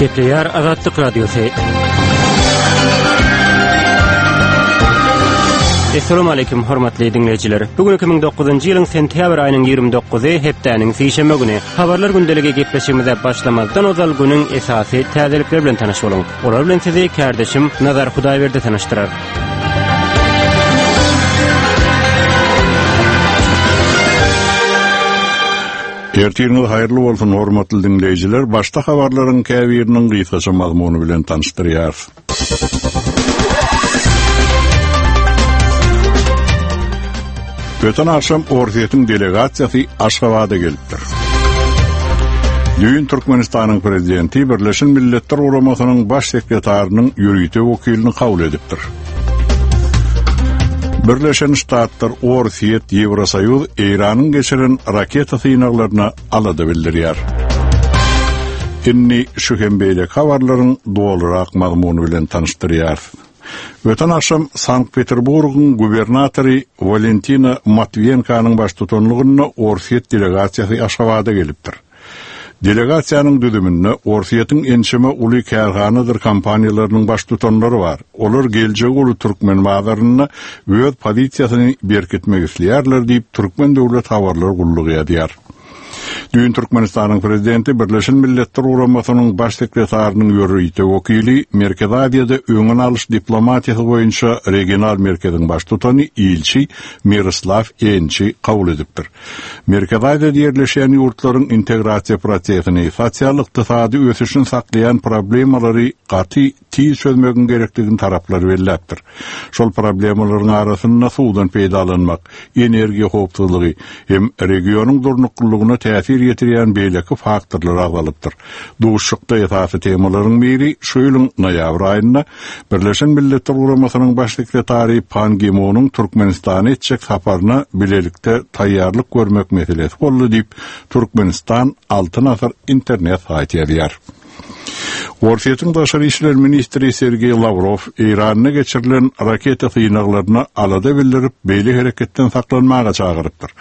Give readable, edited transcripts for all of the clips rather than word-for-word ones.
Gepleýär Azatlyk Radiosy. Assalamu alaykum hormatly diňleýjiler. Bu gün 2009-njy ýylyň sentýabr aýynyň 29-y hepdäniň sişenbe güni. Habarlar gündeligi gepleşigimize başlamazdan ozal günüň esasy täzelikleri bilen tanyş boluň. Olar bilen sizi kärdeşim Nazar Hudaýberdi tanyşdyrar. Ertiriňiz haýyrly bolsun, hormatly diňleýjiler! Başda habarlaryň käbiriniň gysgaça mazmuny bilen tanyşdyrýarys. Öten agşam Orsýetiň delegasiýasy Aşgabada gelipdir. Düýn Türkmenistanyň Prezidenti Birleşen Milletler Guramasynyň Baş sekretarynyň ýörite wekilini kabul edipdir. Birleşen Ştatlar, Orsýet, Ýewrosoýuz Eýranyň geçiren raketa synaglaryna alada bildirýär. Indi şu hem beýleki habarlaryň dolurak mazmuny bilen tanyşdyrýarys. Öten agşam Sankt-Peterburgyň gubernatory Walentina Matwiýenkanyň baştutanlygynda Orsýet delegasiýasy Aşgabada gelipdir. Delegasiýanyň düzüminde Orsýetiň ençeme uly kärhanadyr kompaniýalarynyň baştutanlary bar. Olar geljegi uly türkmen bazarynda öz pozisiýasyny berkitmek isleýärler diýip, Türkmen döwlet habarlar gullugy ýazýar. Düýn Türkmenistanyň Prezidenti Birleşen Milletler Guramasynyň Baş sekretarynyň ýörite wekili, Merkezi Aziýada öňüni alyş diplomatiýasy boýunça regional merkeziň baştutany ilçi Miroslaw Ençi kabul edipdir. Merkezi Aziýada ýerleşýän ýurtlaryň integrasiýa prosesini, sosial-ykdysady ösüşini saklaýan problemalary gaty tiz çözmegiň gerekdigini taraplar belläpdir. Şol problemalaryň arasynda suwdan peýdalanmak, energiýa howpsuzlygy hem regionyň durnuklylygyna täsir ýetirýän beýleki faktorlar agzalypdyr. Duşuşykda esasy temalaryň biri şu ýylyň noýabr aýynda Birleşen Milletler Guramasynyň Baş sekretary Pan Gi Munuň Türkmenistana etjek saparyna bilelikde taýýarlyk görmek meselesi boldy diýip, Türkmenistan, Altyn asyr internet saýty ýazýar. Orsýetiň daşary işler ministri Sergeý Lawrow Eýranda geçirilen raketa synaglaryna alada bildirip, beýle hereketden saklanmaga çagyrypdyr.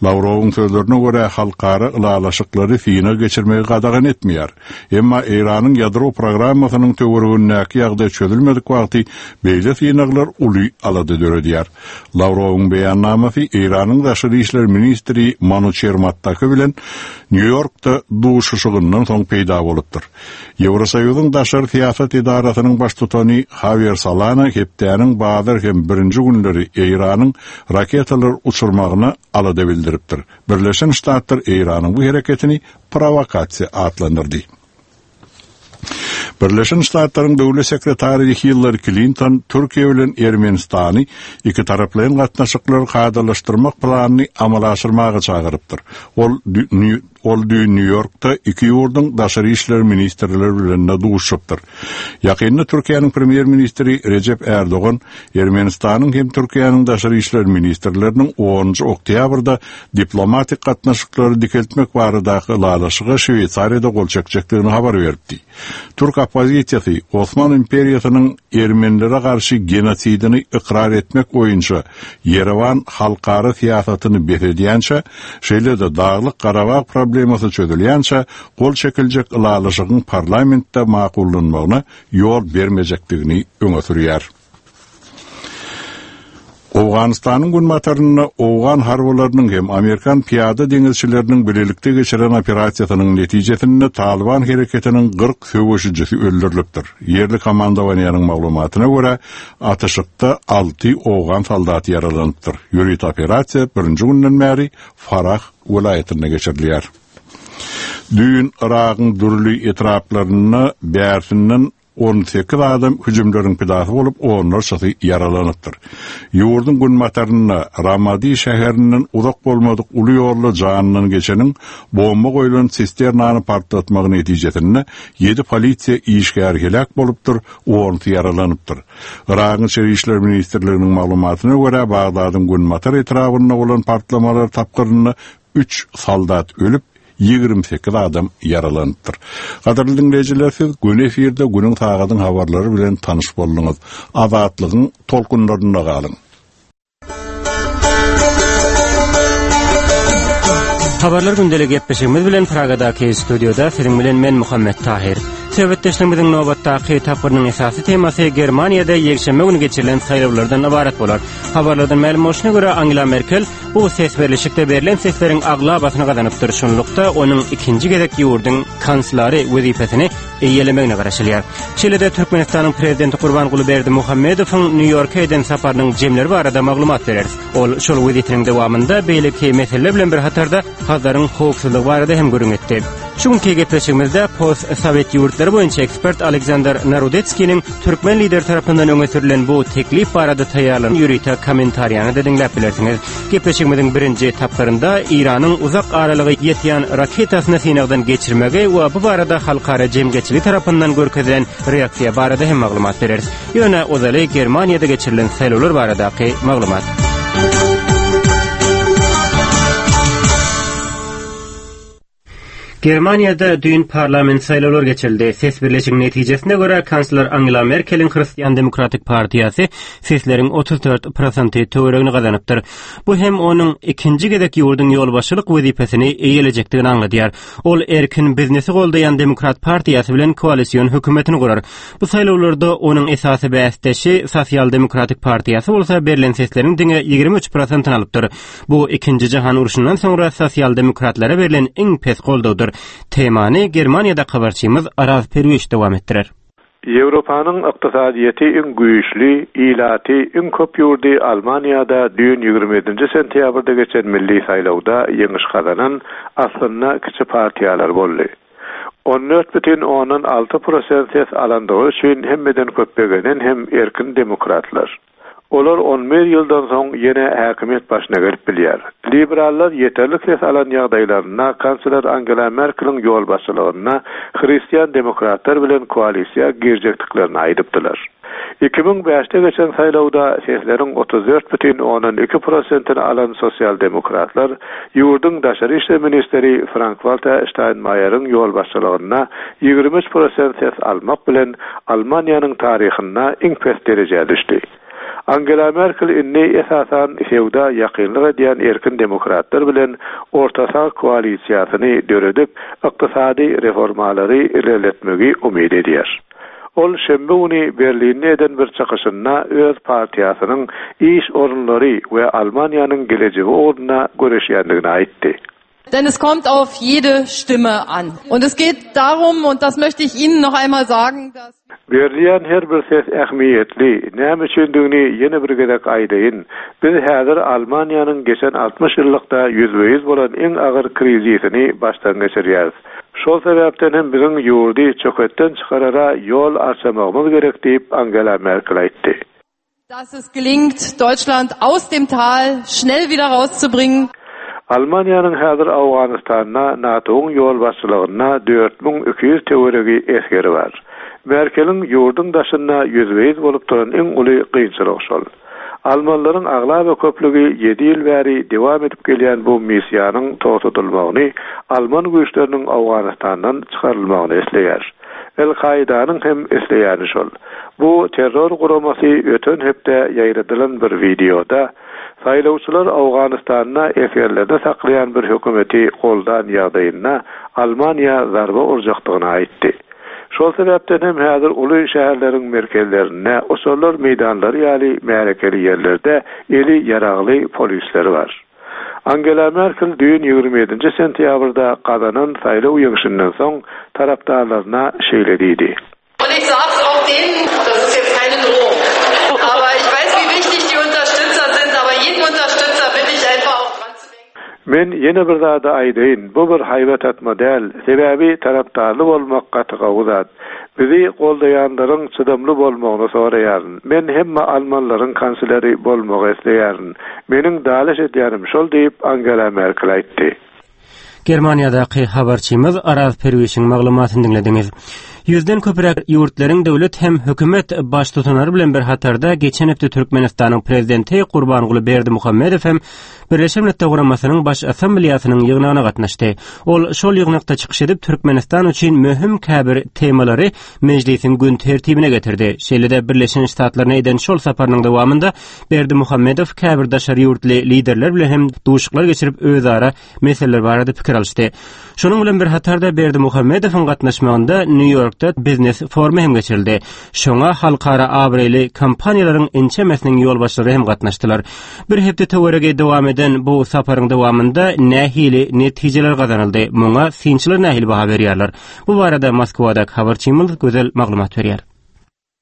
Lawrowyň sözlerine görä, halkara ylalaşyklary synag geçirmegi gadagan etmeýär. Emma Eýranyň ýadro programmasynyň töweregindäki ýagdaý çözülmedik wagty beýle synaglar uly alada döredýär. Lawrowyň beýannamasy Eýranyň daşary işler ministri Manuçer Mattaki bilen Nýu-Ýorkda duşuşygyndan soň peýda bolupdyr. Ýewrosoýuzyň daşary syýasat edarasynyň baştutany Hawier Solana hepdäniň bazar hem birinji günleri Eýranyň raketalar uçurmagyna alada bildiripdir. Birleşen Ştatlar Eýranyň bu hereketini prowokasiýa atlandyrdy. Birleşen Ştatlaryň Döwlet sekretary Hillari Klinton Türkiýe bilen Ermenistany ikitaraplaýyn gatnaşyklary kadalaşdyrmak planyny amala aşyrmaga çagyrypdyr. Ol ol düýn Nýu-Ýorkda iki ýurduň daşary işler ministrleri bilen-de duşuşypdyr. Ýakynda Türkiýäniň premýer-ministri Rejep Ärdogan Ermenistanyň hem Türkiýäniň daşary işler ministrleriniň onunjy oktýabrda diplomatik gatnaşyklary dikeltmek baradaky ylalaşyga Şweýsariýada gol çekjekdigini habar beripdi. Türk oppozisiýasy Osman imperiýasynyň ermenilere garşy genosidini ykrar etmek boýunça Ýerewan halkara syýasatyny bes edýänçä, şeýle-de Daglyk-Garabag problemasy çözülýänçä gol çekiljek ylalaşygyň parlamentde makullanmagyna ýol bermejekdigini öňe sürýär. Owganystanyň günbatarynda owgan harbylarynyň hem amerikan pyýada deňizçileriniň bilelikde geçiren operasiýasynyň netijesinde Talyban hereketiniň 40 söweşijisi öldürilipdir. Ýerli komandowaniýanyň maglumatyna görä, atyşykda alty owgan soldaty ýaralanypdyr. Ýörite operasiýa birinji günden bäri Farah welaýatynda geçirilýär. Düýn Yragyň dürli etraplarynda bärsinden 18 adam hüjümleriň pidasy bolup, onlarçasy ýaralanypdyr. Ýurduň günbatarynda, Ramadi şäherinden uzak bolmadyk uly ýolda janyndan geçeniň bomba goýlan sisternany partlatmagy netijesinde ýedi polisiýa işgäri heläk bolupdyr, onusy ýaralanypdyr. Yragyň Içeri işler ministrliginiň maglumatyna görä, Bagdadyň günbatar etrabynda bolan partlamalar tapgyrynda Üç soldat ölüp, 28 adam ýaralanypdyr. Gadyrly diňleýjiler, siz göni efirde günüň sagadyň habarlary bilen tanyş bolduňyz. Azatlygyň tolkunlarynda galyň! Habarlar gündeligi gepleşigimiz bilen Pragadaky studiýada siziň bilen men Muhammet Tahyr. Söhbetdeşligimiziň nobatdaky tapgyrynyň esasy temasy Germaniýada ýekşenbe güni geçirilen saýlawlardan ybarat bolar. Habarlardan mälim bolşuna görä, Angela Merkel bu ses berlişikde berlen sesleriň aglabasyny gazanypdyr. Şunlukda, onuň ikinji gezek ýurduň kanslary wezipesini eýelemegine garaşylýar. Şeýle-de Türkmenistanyň Prezidenti Gurbanguly Berdimuhamedowyň Nýu-Ýorka eden saparynyň jemleri barada maglumat bereris. Ol şol wezitiniň dowamynda beýleki meseleler bilen bir hatarda Hazaryň howpsuzlygy barada hem gürrüň etdi. Şu günki gepleşigimizde post-sowet ýurtlary boýunça ekspert Aleksandr Narodetskiniň türkmen lideri tarapyndan öňe sürülen bu teklip barada taýýarlan ýörite kommentariýany-da diňläp bilersiňiz. Gepleşigimiziň birinji tapgyrynda Eýranyň uzak aralyga ýetýän raketasyny synagdan geçirmegi we bu barada halkara jemgyýetçiligi tarapyndan görkezilen reaksiýa barada hem maglumat bereris. Ýöne ozaly Germaniýada geçirilen saýlawlar baradaky maglumat. Germaniýada düýn parlament saýlawlary geçirildi. Ses birleşigiň netijesine görä, kansler Angela Merkeliň Hristian demokratik partiýasy sesleriň 34 prosenti töweregini gazanypdyr. Bu hem onuň ikinji gezek ýurduň ýolbaşçylyk wezipesini eýelejekdigini aňladýar. Ol erkin biznesi goldaýan Demokrat partiýasy bilen koalision hökümetini gurar. Bu saýlawlarda onuň esasy bäsdeşi Sosial demokratik partiýasy bolsa berlen sesleriň diňe 23 prosentini alypdyr. Bu Ikinji jahan urşundan soňra sosial-demokratlara berlen iň pes goldawdyr. Temany Germaniýadaky habarçymyz Araz Perwiş dowam etdirer. Ýewropanyň ykdysadyýeti iň güýçli, ilaty iň köp ýurdy Almaniýada düýn 27-nji sentýabrda geçen milli saýlawda ýeňiş gazanan aslynda kiçi partiýalar boldy. 14,6 prosent ses alandygy üçin hemmeden köp begenen hem erkin demokratlar. Olar on bir ýyldan soň ýene häkimiýet başyna gelip bilýär. Liberallar ýeterlik ses alan ýagdaýlarynda kansler Angela Merkeliň ýolbaşçylygynda hristian demokratlar bilen koalisiýa girjekdiklerini aýdypdylar. 2005-de geçen saýlawda sesleriň 34,2 prosentini alan sosial demokratlar ýurduň daşary işler ministri Frank-Walter Ştaýnmaýeriň ýolbaşçylygynda 23 prosent ses almak bilen Almaniýanyň taryhynda iň pes derejä düşdi. Angela Merkel indi esasan söwda ýakynlyk edýän erkin demokratlar bilen orta sag koalisiýasyny döredip, ykdysady reformalary ilerletmegi umyt edýär. Ol şenbe güni Berlinde eden bir çykyşynda öz partiýasynyň iş orunlary we Almaniýanyň gelejegi ugrunda göreşýändigini aýtdy. Denn es kommt auf jede Stimme an. Und es geht darum, und das möchte ich Ihnen noch einmal sagen, dass. Berilýän her bir ses ähmiýetli. Näme üçindigini ýene bir gezek aýdaýyn. Biz häzir Almaniýanyň geçen 60 ýyllykda ýüzbe-ýüz bolan iň agyr krizisini başdan geçirýäris. Şol sebäpden hem biziň ýurdy çöketden çykarara ýol arçamagymyz gerek diýip, Angela Merkel aýtdy. Dass es gelingt, Deutschland aus dem Tal schnell wieder rauszubringen. Almaniýanyň häzir Owganystanda NATO-yň ýolbaşçylygynda 4200 töweregi esgeri bar. Merkeliň ýurduň daşynda ýüzbe-ýüz bolup duran iň uly kynçylygy şol. Almanlaryň aglaba köplügi ýedi ýyl bäri dowam edip gelýän bu missiýanyň togtadylmagyny, alman güýçleriniň Owganystandan çykarylmagyny isleýär. El-Kaidanyň hem isleýäni şol. Bu terror guramasy öten hepde ýaýradylan bir wideoda, saýlawçylar Owganystanda esgerlerini saklaýan bir hökümeti goldan ýagdaýynda Almaniýa zarba urjakdygyny aýtdy. Şol sebäpden hem häzir uly şäherleriň merkezlerinde, uçarlar meýdanlary ýaly märekeli ýerlerde eli ýaragly polisler bar. Angela Merkel düýn 27-nji sentýabrda gazanan saýlaw ýeňşinden soň tarapdarlaryna şeýle diýdi. Und ich sag's auch denen, das ist jetzt keine Drohung, aber ich weiß, wie wichtig die Unterstützer sind, aber jeden Unterstützer bitte ich einfach auch dran zu denken. Men ýene bir zady aýdaýyn, bu bir haýbat atma däl, sebäbi tarapdarly bolmak gaty gowy zat. Bizi goldaýanlaryň çydamly bolmagyny soraýaryn. Men hemme almanlaryň kansleri bolmagy isleýärin. Meniň dalaş edýänim şol diýip, Angela Merkel aýtdy. Germaniýadaky habarçymyz Araz Perwişiň maglumatyny diňlediňiz. Ýüzden köpräk ýurtlaryň döwlet hem hökümet baştutanlary bilen bir hatarda geçen hepde Türkmenistanyň Prezidenti Gurbanguly Berdimuhamedow hem Birleşen Milletler Guramasynyň Baş Assambleýasynyň ýygnagyna gatnaşdy. Ol şol ýygnakda çykyş edip, Türkmenistan üçin möhüm käbir temalary mejlisiň gün tertibine getirdi. Şeýle-de Birleşen Ştatlaryna eden şol saparynyň dowamynda Berdimuhamedow käbir daşary ýurtly liderler bilen hem duşuşyklar geçirip, özara meseleler barada pikir alyşdy. Şonuň bilen bir hatarda Berdimuhamedowyň gatnaşmagynda Nýu-Ýorkda. Nýu-Ýorkda biznes forumy hem geçirildi. Şoňa halkara abraýly kompaniýalaryň ençemesiniň ýolbaşçylary hem gatnaşdylar. Bir hepde töweregi dowam eden bu saparyň dowamynda nähili netijeler gazanyldy? Muňa synçylar nähili baha berýärler? Bu barada Moskwadaky habarçymyz Gözel maglumat berýär.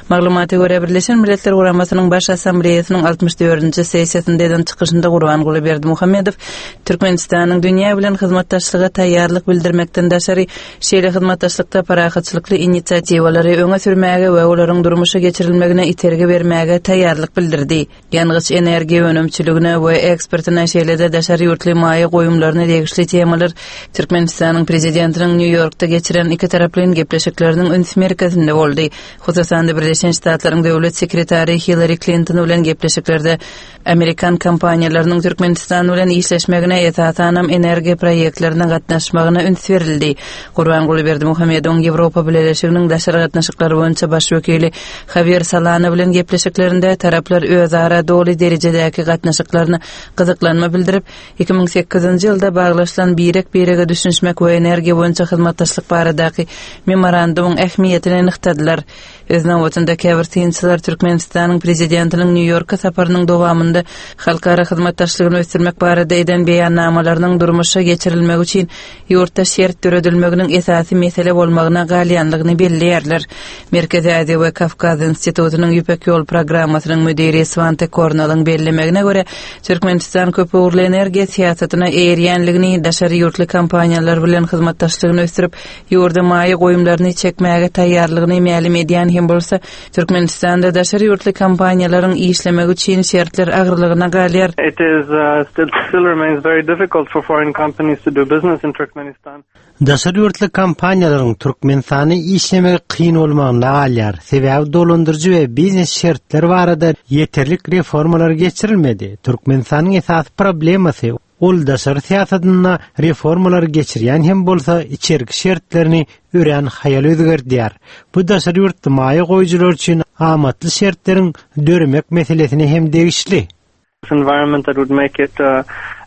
Maglumata görä, Birleşen Milletler Guramasynyň Baş Assambleýasynyň altmyş dördünji sessiýasynda eden çykyşynda Gurbanguly Berdimuhamedow Türkmenistanyň dünýä bilen hyzmatdaşlyga taýýarlyk bildirmekden daşary, şeýle hyzmatdaşlykda parahatçylykly inisiatiwalary öňe sürmäge we olaryň durmuşa geçirilmegine itergi bermäge taýýarlyk bildirdi. Ýangyç-energiýa önümçiligine we eksportyna, şeýle-de daşary ýurtly maýa goýumlaryna degişli temalar Türkmenistanyň Prezidentiniň Nýu-Ýorkda geçiren ikitaraplaýyn gepleşikleriniň üns merkezinde boldy. Hususan-da, Birleşen Ştatlaryň Döwlet sekretary Hillari Klinton bilen gepleşiklerde amerikan kompaniýalarynyň Türkmenistan bilen işleşmegine, esasanam, energiýa proýektlerine gatnaşmagyna üns berildi. Gurbanguly Berdimuhamedowyň Ýewropa Bileleşiginiň daşary gatnaşyklar boýunça baş wekili Hawier Solana bilen gepleşiklerinde taraplar özara doly derejedäki gatnaşyklaryna gyzyklanma bildirip, 2008-nji ýylda baglaşylan birek-birege düşünişmek we energiýa boýunça hyzmatdaşlyk baradaky Memorandumyň ähmiýetini nygtadylar. Öz nobatynda käbir synçylar Türkmenistanyň Prezidentiniň Nýu-Ýorka saparynyň dowamynda halkara hyzmatdaşlygyny ösdürmek barada eden beýannamalarynyň durmuşa geçirilmegi üçin ýurtda şert döredilmeginiň esasy mesele bolmagyna galýanlygyny belleýärler. Merkezi Aziýa we Kawkaz institutynyň Ýüpek ýol programmasynyň müdiri Swante Kornalyň bellemegine görä, Türkmenistan köpugurly energiýa syýasatyna eýerýänligini, daşary ýurtly kompaniýalar bilen hyzmatdaşlygyny ösdürip, ýurda maýa goýumlaryny çekmäge taýýarlygyny mälim edýän hem bolsa, Türkmenistanda daşary ýurtly kompaniýalaryň işlemegi üçin şertler agyrlygyna galýar. It is still remains very difficult for foreign companies to do business in Turkmenistan. Daşary ýurtly kompaniýalaryň Türkmenistanda işlemegi kyn bolmagynda galýar, sebäbi dolandyryjy we biznes şertleri barada ýeterlik reformalar geçirilmedi. Türkmenistanyň esasy problemasy, Ol daşary syýasatynda reformalary geçirýän hem bolsa, içerki şertlerini örän haýal özgerdýär. Bu daşary ýurtly maýa goýujylar üçin amatly şertleriň döremek meselesine hem degişli. environment that would make it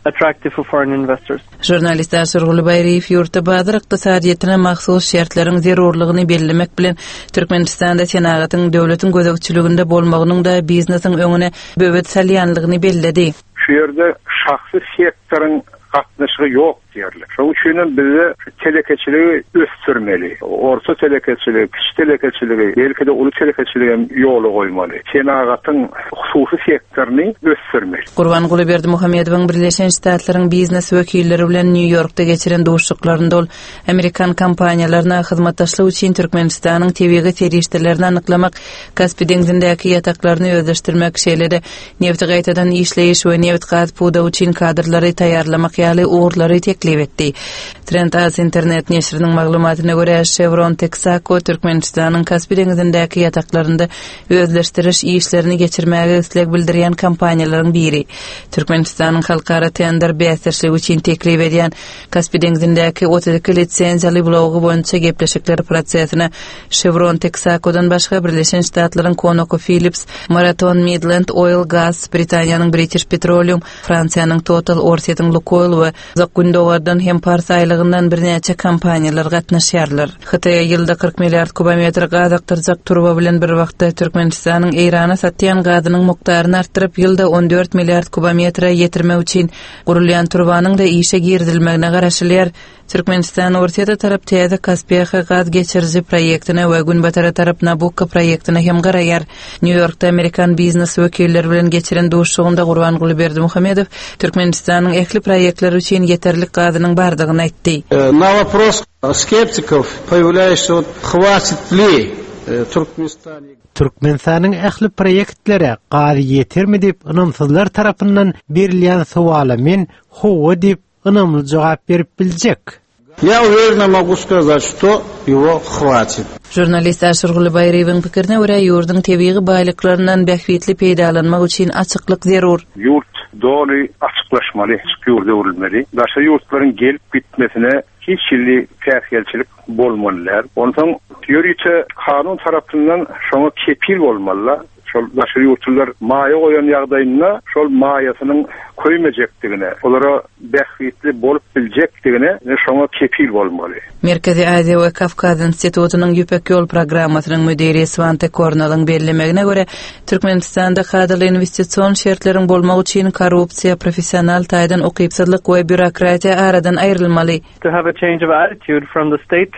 attractive for foreign investors. Žurnalist Aşyrguly Baýryýew ýurtda bazar ykdysadyýetine mahsus şertleriň zerurlygyny bellemek bilen, Türkmenistanda senagatyň döwletiň gözegçiliginde bolmagynyň-da biznesiň öňüne böwet salýanlygyny belledi. Şu ýerde şahsy sektoryň gatnaşygy ýok diýerli. Şonuň üçin hem bizde şu telekeçiligi ösdürmeli. Orta telekeçiligi, kiçi telekeçiligi, belki-de uly telekeçiligi hem ýola goýmaly. Senagatyň hususy sektoryny ösdürmeli. Gurbanguly Berdimuhamedowyň Birleşen Ştatlaryň biznes wekilleri bilen Nýu-Ýorkda geçiren duşuşyklarynda ol amerikan kompaniýalaryna hyzmatdaşlyk üçin Türkmenistanyň tebigy serişdelerini anyklamak, Kaspi deňzindäki ýataklaryny özleşdirmek, şeýle-de nebiti gaýtadan işleýiş we nebit-gaz pudagy üçin kadrlary taýýarlamak ýaly ugurlary teklip etdi. Trend Az internet neşiriniň maglumatyna görä, Chevron Texaco Türkmenistanyň Kaspi deňzindäki ýataklarynda özleşdiriş işlerini geçirmäge isleg bildirýän kompaniýalaryň biri. Türkmenistanyň halkara tender bäsdeşligi üçin teklip edýän Kaspi deňzindäki 32 lisenziýaly blogy boýunça gepleşikler prosesine Chevron Texaco-dan başga Birleşen Ştatlaryň ConocoPhillips, Marathon Midland Oil Gas, Britaniýanyň British Petroleum, Fransiýanyň Total, Orsýetiň Lukoil we Uzak Gündogardan hem Pars aýlagyndan birnäçe kompaniýalar gatnaşýarlar. Hytaýa ýylda 40 milliard kubometr gaz akdyrjak turba bilen bir wagtda Türkmenistanyň Eýrana satýan gazynyň mukdaryny artdyryp, ýylda 14 milliard kubometre ýetirmek üçin gurulýan turbanyň-da işe girizilmegine garaşylýar. Türkmenistan Orsýete tarap täze Kaspiýaha gaz geçiriji proýektine we Günbatara tarap Nabukko proýektine hem garaýar. Nýu-Ýorkda amerikan biznes wekilleri bilen geçiren duşuşygynda Gurbanguly Berdimuhamedow Türkmenistanyň ähli proýektleri üçin ýeterlik gazynyň bardygyny aýtdy. Na wopros skeptikow poýawlýaýuşsa wot hwatit li Türkmenistane. Türkmenistanyň ähli proýektlere gaz ýetermi diýip ynamsyzlar tarapyndan berilýän sowala men howwa diýip ynamly jogap berip biljek. Ýa uwerena mogu skazat şto ýewo hwatit. Žurnalist Aşyrguly Baýryýewiň pikirine görä, ýurduň tebigy baýlyklaryndan bähbitli peýdalanmak üçin açyklyk zerur. Ýurt doly açyklaşmaly, açyk ýurda öwrülmeli. Daşary ýurtlaryň gelip gitmesine hiç hili päsgelçilik bolmaly däl. Onsoň ýörite kanun tarapyndan şoňa kepil bolmaly-da. Şol daşary ýurtlular maýa goýan ýagdaýynda şol maýasynyň köýmejekdigine, olara bähbitli bolup biljekdigine ine şoňa kepil bolmaly. Merkezi Aziýa we Kawkaz institutynyň Ýüpek ýol programmasynyň müdiri Swante Kornalyň bellemegine görä, Türkmenistanda kadaly inwestision şertleriň bolmagy üçin korrupsiýa, professional taýdan ukypsyzlyk we býurokratiýa aradan aýrylmaly. To have a change of attitude from the state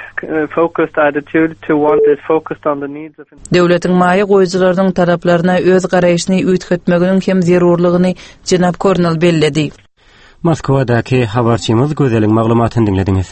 focused attitude to one that is focused on the needs of Döwletiň maýa goýujylarynyň talaplaryna öz garaýşyny üýtgetmeginiň hem zerurlygyny jenap Kornel belledi. Moskwadaky habarçymyz Gözeliň maglumatyny diňlediňiz.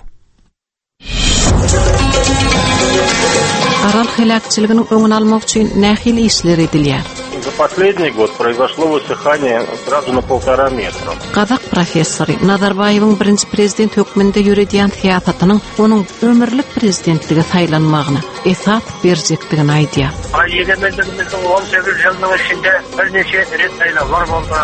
Aral heläkçiliginiň öňüni almak üçin nähili işler edilýär? За последний год произошло высыхание сразу на полтора метра. Gazak professory Nazarbaýewiň birinji prezident hökmünde ýöredýän syýasatynyň onuň ömürlik prezidentlige saýlanmagyna esas berjekdigini aýdýar. Egemenligimizdiň 18 ýylynyň içinde birnäçe ret saýlawlar boldy.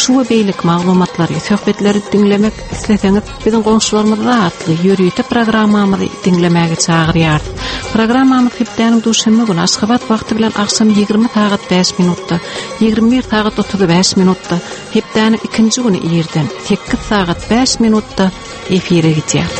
Şu we beýleki maglumatlary, söhbetleri diňlemek isleseňiz, biziň goňşularymyzda atly ýörite programmamyzy diňlemäge çagyrýarys. Programmamyz hepdäniň duşenbe güni Aşgabat wagty bilen agşam 20 sagat 5 minutda, 21 sagat 35 minutda, hepdäniň ikinji güni irden 8 sagat 5 minutda efire gidýär.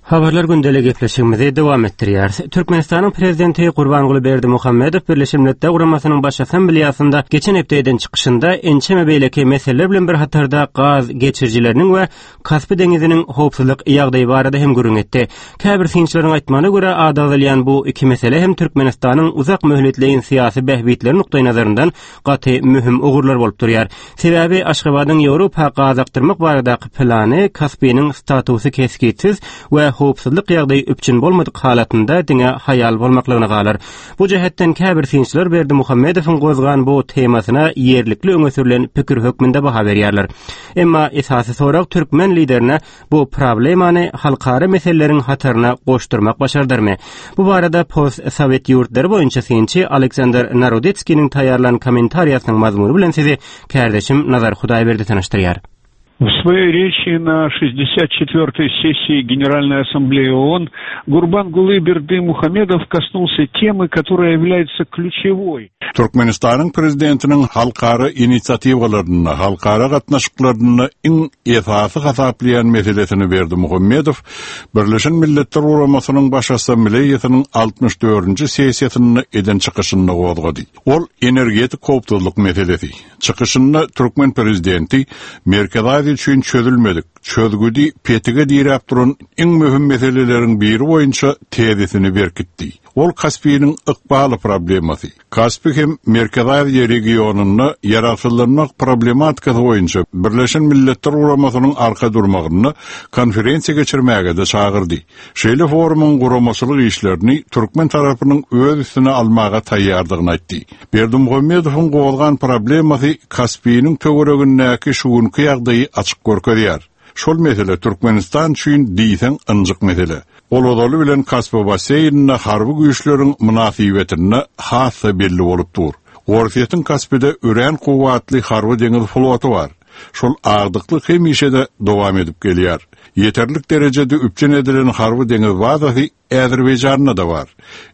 Habarlar gündeli gepleşigimizi dowam etdirýäris. Türkmenistanyň Prezidenti Gurbanguly Berdimuhamedow Birleşen Milletler Guramasynyň Baş Assambleýasynda geçen hepde eden çykyşynda ençeme beýleki meseleler bilen bir hatarda gaz geçirijileriniň we Kaspi deňiziniň howpsuzlyk ýagdaýy barada hem gürrüň etdi. Käbir synçylaryň aýtmagyna görä, ady agzalýan bu iki mesele hem Türkmenistanyň uzak möhletleýin syýasy bähbitleri nukdaýnazaryndan gaty möhüm ugurlar bolup durýar. Sebäbi Aşgabadyň Ýewropa gaz akdyrmak baradaky plany Kaspiniň statusy kesgitsiz we howpsuzlyk ýagdaýy üpjün bolmadyk halatynda diňe haýal bolmaklygyna galar. Bu jähetden käbir synçylar Berdimuhamedowyň gozgan bu temasyna ýerlikli öňe sürlen pikir hökmünde baha berýärler. Emma esasy sorag türkmen liderine bu problemany halkara meseleleriň hataryna goşdurmak başardarmy? Bu barada post-sowet ýurtlary boýunça synçy Aleksandr Narodetskiniň taýýarlan kommentariýasynyň mazmuny bilen sizi kärdeşim Nazar Hudaýberdi tanyşdyrýar. В своей речи на 64-й сессии Генеральной Ассамблеи ООН Гурбангулы Бердымухамедов коснулся темы, которая является ключевой. Türkmenistanyň Prezidentiniň halkara inisiatiwalarynda, halkara gatnaşyklarynda iň esasy hasaplaýan meselesini Berdimuhamedow Birleşen Milletler Guramasynyň Baş Assambleýasynyň altmyş dördünji sessiýasynda eden çykyşynda gozgady. Ol energetik howpsuzlyk meselesi. Çykyşynda türkmen prezidenti Merkezi Aziýa üçin çözülmedik, çözgüdi petige diräp duran iň möhüm meseleleriň biri boýunça tezisini berkitdi. Ol Kaspiniň ykbaly problemasy. Kaspi hem Merkezi Aziýa regionynda ýaragsyzlanmak problematikasy boýunça Birleşen Milletler Guramasynyň arka durmagynda konferensiýa geçirmäge-de çagyrdy. Şeýle forumyň guramaçylyk işlerini türkmen tarapynyň öz üstüne almaga taýýardygyny aýtdy. Berdimuhamedowyň gozgan problemasy Kaspiniň töweregindäki şu günki ýagdaýy açyk görkezýär. Şol mesele Türkmenistan üçin diýseň ynjyk mesele. Ol ozaly bilen Kaspi basseýninde harby güýçleriň mynasybetinde has-da belli bolup dur. Orsýetiň Kaspide örän kuwwatly harby-deňiz floty bar. Şol agdyklyk hemişe-de dowam edip gelýär. Ýeterlik derejede üpjün edilen harby-deňiz bazasy Azerbaýjanda-da bar.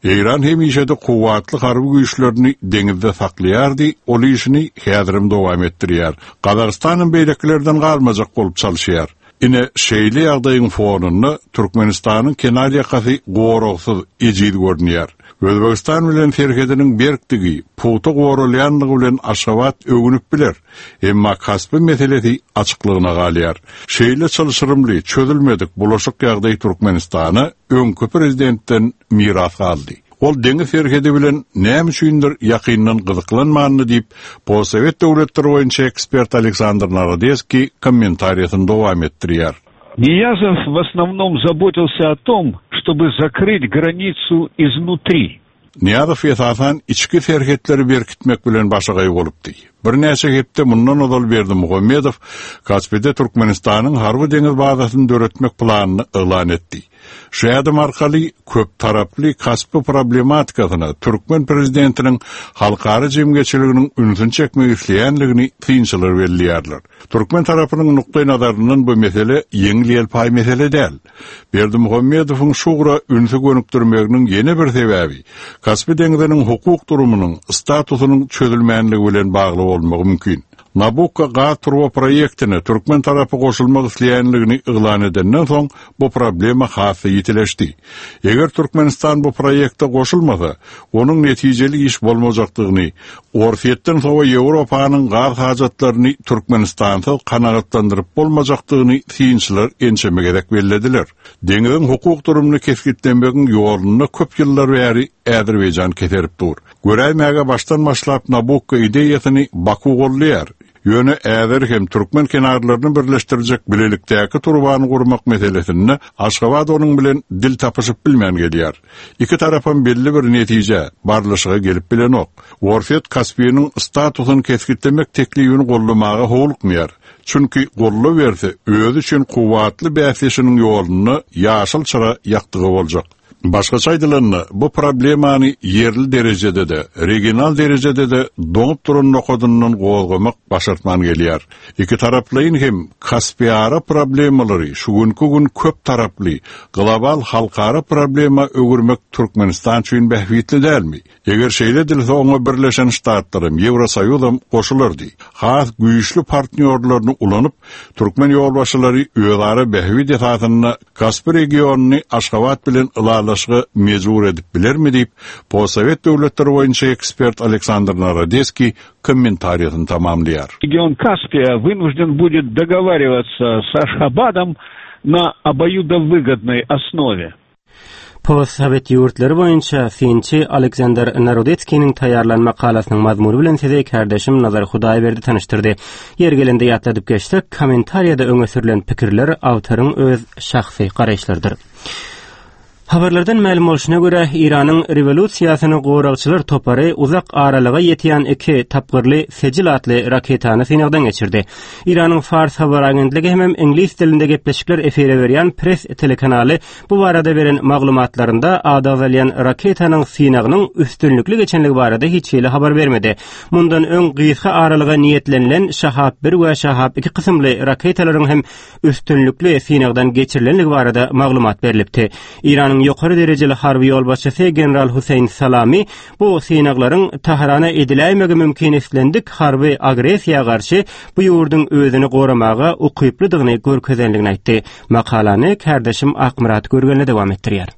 Eýran hemişe-de kuwwatly harby güýçlerini deňizde saklaýardy, ol işini häzirem dowam etdirýär. Gazagystanam beýlekilerden galmajak bolup çalyşýar. Ine, şeýle ýagdaýyň fonunda Türkmenistanyň kenar ýakasy goragsyz, ejiz görünýär. Özbegistan bilen serhediniň berkdigi, pugta goralýanlygy bilen Aşgabat öwünip biler. Emma Kaspi meselesi açyklygyna galýar. Şeýle çylşyrymly, çözülmedik, bulaşyk ýagdaý Türkmenistana öňki prezidentden miras galdy. Ol deňiz serhedi bilen näme üçindir ýakyndan gyzyklanmandy diýip, postsowet döwletleri boýunça ekspert Aleksandr Narodeskiý kommentariýasyny dowam etdirýär. Niýazow w osnovnom zabotilsya o tom, ştoby zakryt granicu iznutri. Nyýazow esasan içki serhetleri berkitmek bilen başagaý bolupdy. Birnäçe hepde mundan ozal Berdimuhamedow Kaspide Türkmenistanyň harby-deňiz bazasyny döretmek planyny yglan etdi. Şu ädim arkaly köptaraply Kaspi problematikasyna türkmen prezidentiniň halkara jemgyýetçiliginiň ünsüni çekmek isleýändigini synçylar belleýärler. Türkmen tarapynyň nukdaýnazaryndan bu mesele ýeňil-ýelpaý mesele däl. Berdimuhamedowyň şu ugra ünsi gönükdirmeginiň ýene bir sebäbi Kaspi deňziniň hukuk durumynyň, statusynyň çözülmänligi bilen bagly bolmagy mümkin. Nabukko gaz turba proýektine türkmen tarapy goşulmak isleýänligini yglan edenden soň, bu problema has-da ýitileşdi. Eger Türkmenistan bu proýekte goşulmasa, onuň netijeli iş bolmajakdygyny, Orsýetden sowa Ýewropanyň gaz hajatlaryny Türkmenistansyz kanagatlandyryp bolmajakdygyny synçylar ençeme gezek bellediler. Deňziň hukuk durumyny kesgitlemegiň ýolunda köp ýyllar bäri Azerbaýjan keserip dur. Göräýmäge başdan başlap Nabukko ideýasyny Baku goldaýar. Ýöne Äzer hem türkmen kenarlaryny birleşdirjek bilelikdäki turbany gurmak meselesinde Aşgabat onuň bilen dil tapyşyp bilmän gelýär. Iki tarapam belli bir netijä, barlyşyga gelip bilenok. Orsýet Kaspiniň statusyny kesgitlemek teklibini goldamaga howlukmaýar. Çünki goldaberse, özi üçin kuwwatly bäsdeşiniň ýolunda ýaşyl çyra ýakdygy boljak. Başgaça aýdylanda, bu problemany ýerli derejede-de, regional derejede-de doňup duran nokadyndan gozgamak başartman gelýär. Ikitaraplaýyn hem Kaspiara problemalary şu günki gün köp taraply, global halkara problema öwürmek Türkmenistan üçin bähbitli dälmi? Eger şeýle edilse oňa Birleşen Ştatlaram, Ýewrosoýuzam goşulardy. Has güýçli partnýorlaryny ulanyp, türkmen ýolbaşçylary özara bähbit esasynda Kaspi regionyny Aşgabat bilen ylalaşyga mejbur edip bilermi diýip, postsowet döwletleri boýunça ekspert Aleksandr Narodeskiý kommentariýasyny tamamlaýar. Region Kaspiýa wynujden budet dogowarivаться s Aşhabadom na oboýudowygодnoý osnowe. Postsowet ýurtlary boýunça synçy Aleksandr Narodetskiniň taýýarlan makalasynyň mazmuny bilen sizi kärdeşim Nazar Hudaýberdi tanyşdyrdy. Ýeri gelende ýatladyp geçsek, kommentariýada öňe sürlen pikirler awtoryň öz şahsy garaýyşlarydyr. Habarlardan mälim bolşuna görä, Eýranyň rewolýusiýasyny goragçylar topary uzak aralyga ýetýän iki tapgyrly Sejil atly raketany synagdan geçirdi. Eýranyň Fars habar agentligi hemem iňlis dilinde gepleşikler efire berýän Press telekanaly Bu barada beren maglumatlarynda ady agzalýan raketanyň synagynyň üstünlikli geçenligi barada hiç hili habar bermedi. Mundan öň gysga aralyga niýetlenilen Şahab bir we Şahab iki kysymly raketalaryň hem üstünlikli synagdan geçirilenligi barada maglumat berlipdi. Eýranyň ýokary derejeli harby ýolbaşçysy general Huseýn Salami bu synaglaryň Tahrana ediläýmegi mümkin islendik harby agressiýa garşy bu ýurduň özüni goramaga ukyplydygyny görkezenligini aýtdy. Makalany kärdeşim Akmyrat Görgenli dowam etdirýär.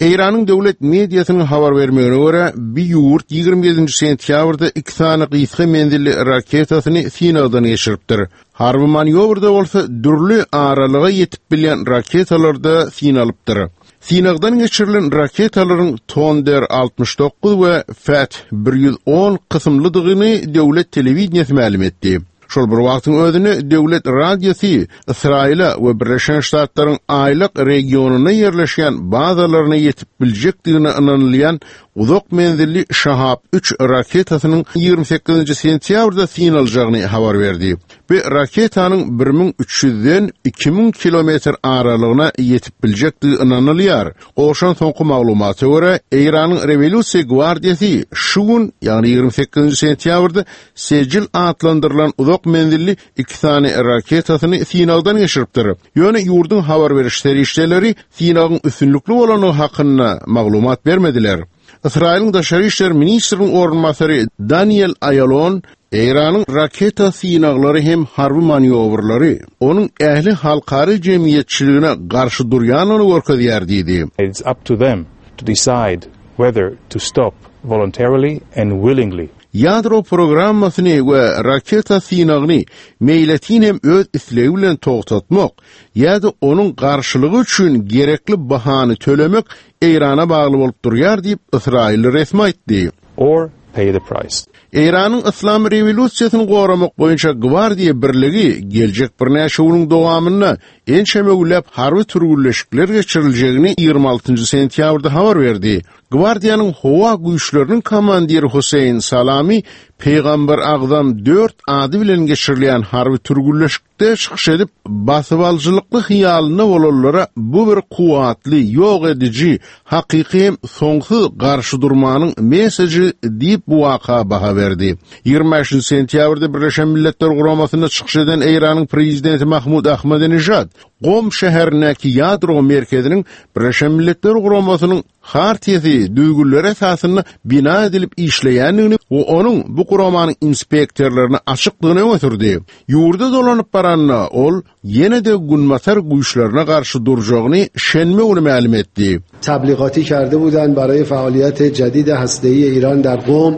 Eýranyň döwlet mediasynyň habar bermegine görä, bi ýurt 27 sentýabrda iki sany gysga menzilli raketasyny synagdan geçiripdir. Harby manýowrda bolsa dürli aralyga ýetip bilýän raketalar-da synalypdyr. Synagdan geçirilen raketalaryň Tonder 69 we Fath 110 kysymlydygyny döwlet telewideniýesi mälim etdi. Şol bir wagtyň özünde döwlet radiosy Ysraýyla we Birleşen Ştatlaryň Aýlak regionynda ýerleşýän bazalaryna ýetip biljekdigine ynanylýan uzak menzilli Şahab üç raketasynyň 28-nji sentýabrda synaljagyny habar berdi. Bu raketanyň 1300-den 2000 kilometr aralygyna ýetip biljekdigi ynanylýar. Gowşan soňky maglumata görä, Eýranyň Rewolýusiýa gwardiýasy şu gün, ýagny 28-nji sentýabrda Sejil atlandyrylan uzak menzilli iki sany raketasyny synagdan geçiripdir. Ýöne ýurduň habar beriş serişdeleri synagyň üstünlikli bolandygy hakynda maglumat bermediler. Ysraýylyň daşary işler ministriniň orunbasary Daniel Aýalon Eýranyň raketa synaglary hem harby manýowrlary onuň ähli halkara jemgyýetçiligine garşy durýandygyny görkezýär diýdi. It's up to them to decide whether to stop voluntarily and willingly. Ýadro programmasyny we raketa synagyny meýletin hem öz islegi bilen togtatmak ýa-da onuň garşylygy üçin gerekli bahany tölemek Eýrana bagly bolup durýar diýip, ysraýylly resmi aýtdy. Or pay the price. Eýranyň Yslam rewolýusiýasyny goramak boýunça gwardiýa birligi geljek birnäçe günüň dowamynda ençeme günläp harby türgünleşikler geçiriljegini 26 sentýabrda habar berdi. Gwardiýanyň howa güýçleriniň komandiri Husseýn Salami Pygamber Agzam dört ady bilen geçirilýän harby türgünleşikde çykyş edip, basybalyjylykly hyýalynda bolanlara bu bir kuwwatly, ýok ediji, hakyky hem soňsuz garşy durmanyň mesajy diýip bu waka baha berdi. 25 sentýabrda Birleşen Milletler Guramasynda çykyş eden Eýranyň prezidenti Mahmud Ahmadinejad Gom şäherindäki ýadro merkeziniň Birleşen Milletler Guramasynyň Hartiýasy düzgünleri esasynda bina edilip işleýändigini we onuň bu guramanyň inspektorlaryna açykdygyny öňe sürdi. Ýurda dolanyp baranda ol ýene-de Günbatar güýçlerine garşy durjagyny şenbe güni mälim etdi. تبلیغاتی کرده بودند برای فعالیت جدید هسته‌ای ایران در قم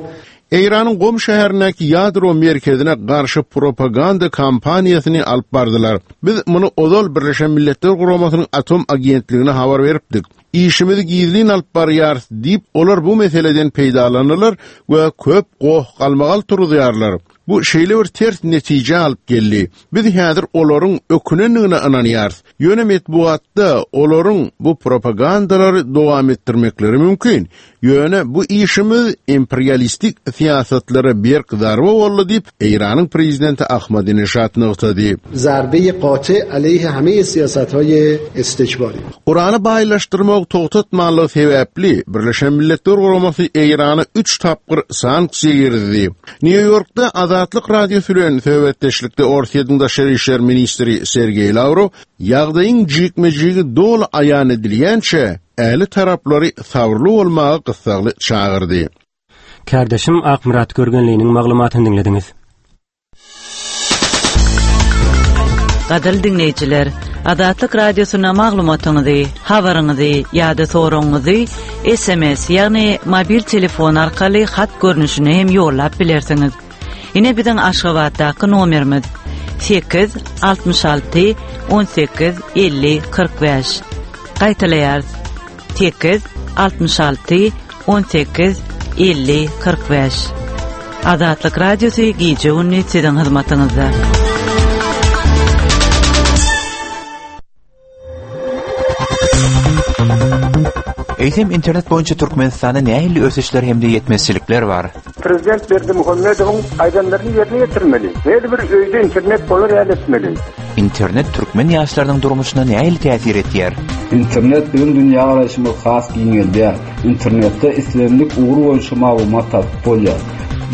Eýranyň Gom şäherindäki ýadro merkezine garşy propaganda kampaniýasyny alyp bardylar. Biz muny ozal Birleşen Milletler Guramasynyň Atom agentligine habar beripdik. Işimizi gizlin alyp barýarys diýip, olar bu meseleden peýdalanyrlar we köp goh-galmagal turuzýarlar. Bu şeýle bir ters netijä alyp geldi. Biz häzir olaryň ökünendigine ynanýarys. Ýöne metbugatda olaryň bu propagandalary dowam etdirmekleri mümkin. Ýöne bu işimiz imperialistik syýasatlara berk zarba boldy diýip, Eýranyň prezidenti Ahmadinejad nygtady. Zarbe gate aleyhe hame siýasathaye istikbari. Urany baýlaşdyrmagy togtatmanlygy sebäpli, Birleşen Milletler Guramasy Eýrana üç tapgyr sanksiýa girizdi. Nýu-Ýorkda Azatlyk Radiosy bilen söhbetdeşlikde Orsýetiň daşary işler ministri Sergeý Lawrow ýagdaýyň jikme-jigi doly aýan edilýänçä, ähli taraplary sabyrly bolmaga gyssagly çagyrdy. Kärdeşim Akmyrat Görgenliniň maglumatyny diňlediňiz. Gadyrly diňleýjiler, Azatlyk Radiosyna maglumatyňyzy, habaryňyzy ýa-da soragyňyzy SMS, ýagny mobil telefon arkaly hat görnüşinde hem ýollap bilersiňiz. Ine biziň Aşgabatdaky nomerimiz 8 66 18 50 45. Gaýtalaýarys. 8 66 18 50 45. Azatlyk Radiosy gije-gündiz siziň hyzmatyňyzda. Eýsem internet boýunça Türkmenistanda nähili ösüşler hem-de ýetmezçilikler bar? Prezident Berdimuhamedowyň aýdanlaryny ýerine ýetirmeli. Her bir öýde internet bolar ýaly etmeli. Internet türkmen ýaşlarynyň durmuşyna nähili täsir etýär? Internet biziň dünýägaraýşymyzy has giňeldýär. Internetde islendik ugur boýunça maglumat tapyp bolýar.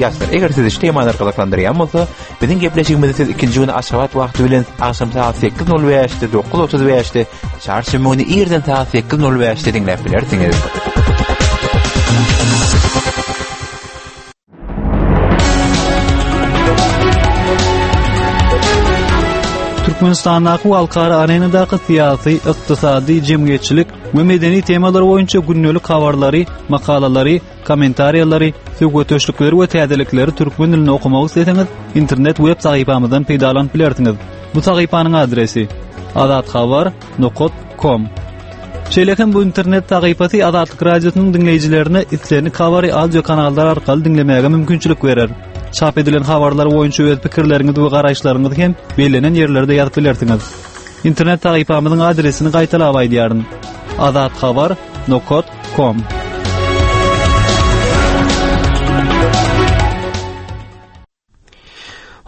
Ýaşlar, eger sizi şu temalar gyzyklandyrýan bolsa, biziň gepleşigimizi siz ikinji güni Aşgabat wagty bilen agşam sagat 8:05-de, 9:35-de, çarşenbe güni irden sagat 8:05-de diňläp bilersiňiz. Türkmenistandaky we halkara arenadaky syýasy, ykdysady, jemgyýetçilik we medeni temalar boýunça gündelik habarlary, makalalary, kommentariýalary, söhbetdeşlikleri we täzelikleri türkmen dilinde okamak isleseňiz, internet web sahypamyzdan peýdalanyp bilersiňiz. Bu sahypanyň adresi: azathabar nokat kom. Şeýle hem bu internet sahypasy Azatlyk Radiosynyň diňleýjilerine islendik habary audio kanallar arkaly diňlemäge mümkinçilik berer. Çap edilen habarlar boýunça öz pikirleriňizi we garaýyşlaryňyzy hem bellenen ýerlerde ýazyp bilersiňiz. Internet sahypamyzyň adresini gaýtalap aýdýaryn. Azathabar nokat kom.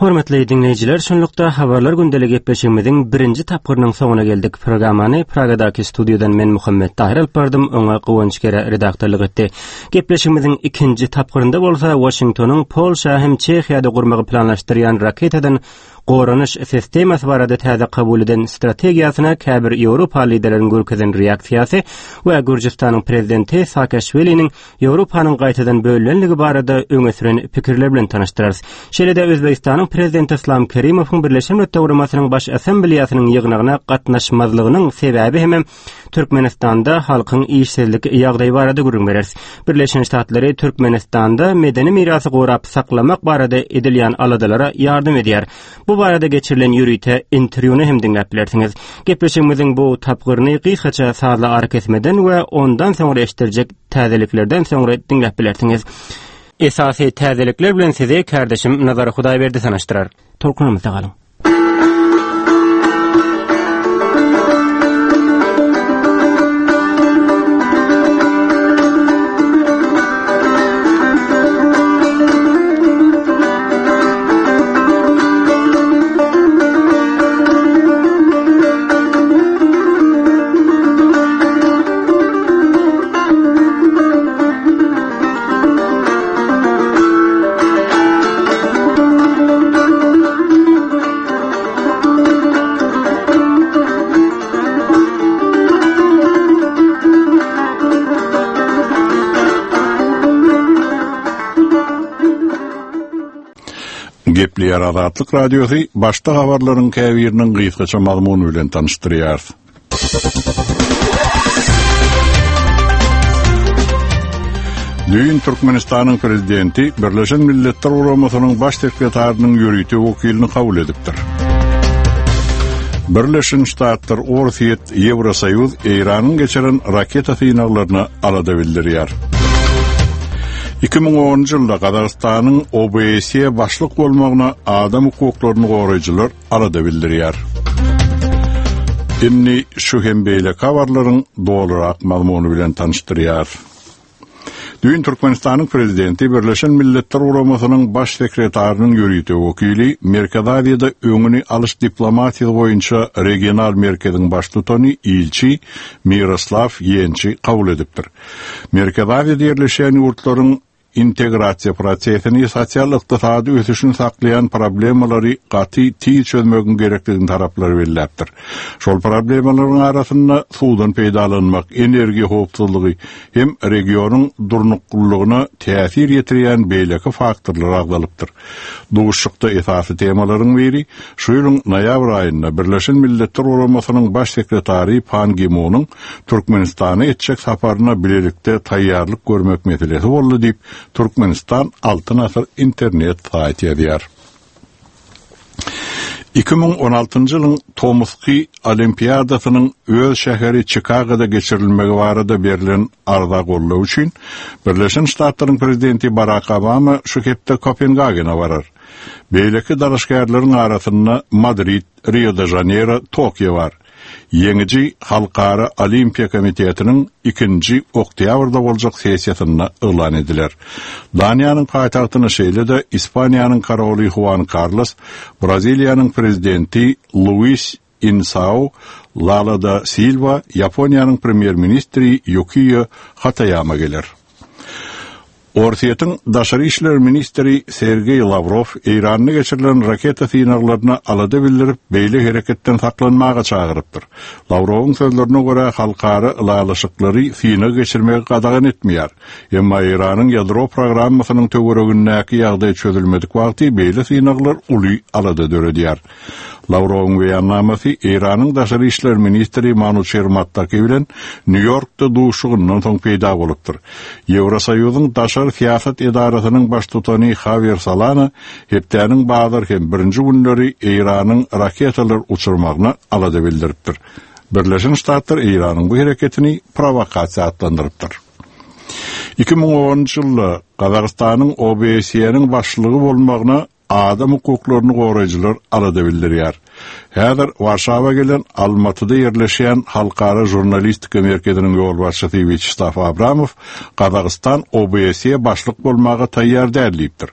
Hormatly diňleýjiler, şunlukda Habarlar gündeli gepleşigimiziň birinji tapgyrynyň soňuna geldik. Programmany Pragadaky studiýadan men Muhammet Tahyr alyp bardym, oňa Guwanç Gere redaktorlyk etdi. Gepleşigimiziň ikinji tapgyrynda bolsa Waşingtonyň Polşa hem Çehiýada gurmagy planlaşdyrýan raketadan goranyş sistemasy barada täze kabul eden strategiýasyna käbir Ýewropa liderleriň görkezen reaksiýasy we Gürjüstanyň prezidenti Saakaşwiliniň Ýewropanyň gaýtadan bölünenligi barada öňe süren pikirler bilen tanyşdyrarys. Şeýle-de Özbegistanyň Prezidenti Yslam Kerimowyň Birleşen Milletler Guramasynyň Baş Assambleýasynyň ýygnagyna gatnaşmazlygynyň sebäbi hemem Türkmenistanda halkyň işsizlik ýagdaýy barada gürrüň bereris. Birleşen Ştatlary Türkmenistanda medeni mirasy gorap saklamak barada edilýän aladalara ýardam edýär. Bu barada geçirilen ýörite interwýuny hem diňläp bilersiňiz. Gepleşigimiziň bu tapgyryny gysgaça sazly arakesmeden we ondan soňra eşitdirjek täzeliklerden soňra diňläp bilersiňiz. Esasy täzelikler bilen sizi kärdeşim Nazar Hudaýberdi tanyşdyrar. Tolkunymyzda galyň. Gepleýär Azatlyk Radiosy başda habarlaryň käbiriniň gysgaça mazmuny bilen tanyşdyrýar. Düýn Türkmenistanyň prezidenti Birleşen Milletler Guramasynyň baş sekretarynyň ýörite wekilini kabul edipdir. Birleşen Ştatlar, Orsýet, Ýewrosoýuz Eýranyň geçiren raketa synaglaryna alada bildirýär. 2010-njy ýylda Gazagystanyň OBSE başlyk bolmagyna adam hukuklaryny goraýjylar alada bildirýär. Indi şu hem beýleki habarlaryň dolurak mazmuny bilen tanyşdyrýar. Düýn Türkmenistanyň Prezidenti Birleşen Milletler Guramasynyň Baş sekretarynyň ýörite wekili, Merkezi Aziýada öňüni alyş diplomatiýasy boýunça regional merkeziň baştutany ilçi Miroslaw Ýençi kabul edipdir. Merkezi Aziýada ýerleşýän ýurtlaryň Integrasiýa prosesini, sosial-ykdysady ösüşini saklaýan problemalary gaty tiz çözmegiň gerekdigini taraplar belläpdir. Şol problemalaryň arasynda suwdan peýdalanmak, energiýa howpsuzlygy hem regionyň durnuklylygyna täsir ýetirýän beýleki faktorlar agzalypdyr. Duşuşykda esasy temalaryň biri şu ýylyň noýabr aýynda Birleşen Milletler Guramasynyň Baş sekretary Pan Gi Munuň Türkmenistana etjek saparyna bilelikde taýýarlyk görmek meselesi boldy diýip, Türkmenistan Altyn asyr internet saýty ýazýar. 2016-njy ýylyň tomusky Olimpiadasynyň öz şäheri Çikagoda geçirilmegi barada berlen arza goldaw üçin Birleşen Ştatlaryň prezidenti Barak Obama şu hepde Kopengagene barar. Beýleki dalaşgärleriň arasynda Madrid, Rio-de-Žaneýro, Tokio bar. Ýeňiji Halkara Olimpiýa komitetiniň ikinji oktýabrda boljak sessiýasynda yglan ediler. Daniýanyň paýtagtyna şeýle-de Ispaniýanyň koroly Huan Karlos, Braziliýanyň prezidenti Luis Insao Lala da Silwa, Ýaponiýanyň premýer-ministri Ýukiýo Hataýama geler. Orsýetiň daşary işler ministri Sergeý Lawrow Eýranda geçirilen raketa synaglaryna alada bildirip, beýle hereketden saklanmaga çagyrypdyr. Lawrowyň sözlerine görä, halkara ylalaşyklary synag geçirmegi gadagan etmeýär. Emma Eýranyň ýadro programmasynyň töweregindäki ýagdaý çözülmedik wagty beýle synaglar uly alada döredýär. Lawrowyň beýannamasy Eýranyň daşary işler ministri Manuçer Mattaki bilen Nýu-Ýorkda duşuşygyndan soň peýda bolupdyr. Ýewrosoýuzyň daşary syýasat edarasynyň baştutany Hawier Solana hepdäniň bazar hem birinji günleri Eýranyň raketalar uçurmagyna alada bildiripdir. Birleşen Ştatlar Eýranyň bu hereketini prowokasiýa atlandyrypdyr. 2010-njy ýylda Gazagystanyň OBSE-niň başlygy bolmagyna Adam hukuklaryny goraýjylar alada bildirýär. Häzir Warşawa gelen Almatyda ýerleşýän Halkara žurnalistika merkeziniň ýolbaşçysy Wýaçeslaw Abramow Gazagystan OBSE başlyk bolmaga taýýar däl diýipdir.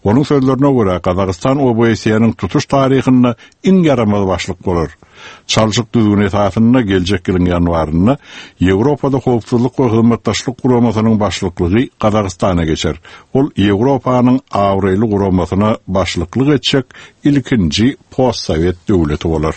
Onuň sözlerine görä, Gazagystan OBSE-niň tutuş taryhynda iň ýaramaz başlyk bolar. Çalşyk düzgüni esasynda geljek ýylyň ýanwarynda Ýewropada Howpsuzlyk we Hyzmatdaşlyk Guramasynyň başlyklygy Gazagystana geçer. Ol Ýewropanyň abraýly guramasyna başlyklyk etjek ilkinji postsowet döwleti bolar.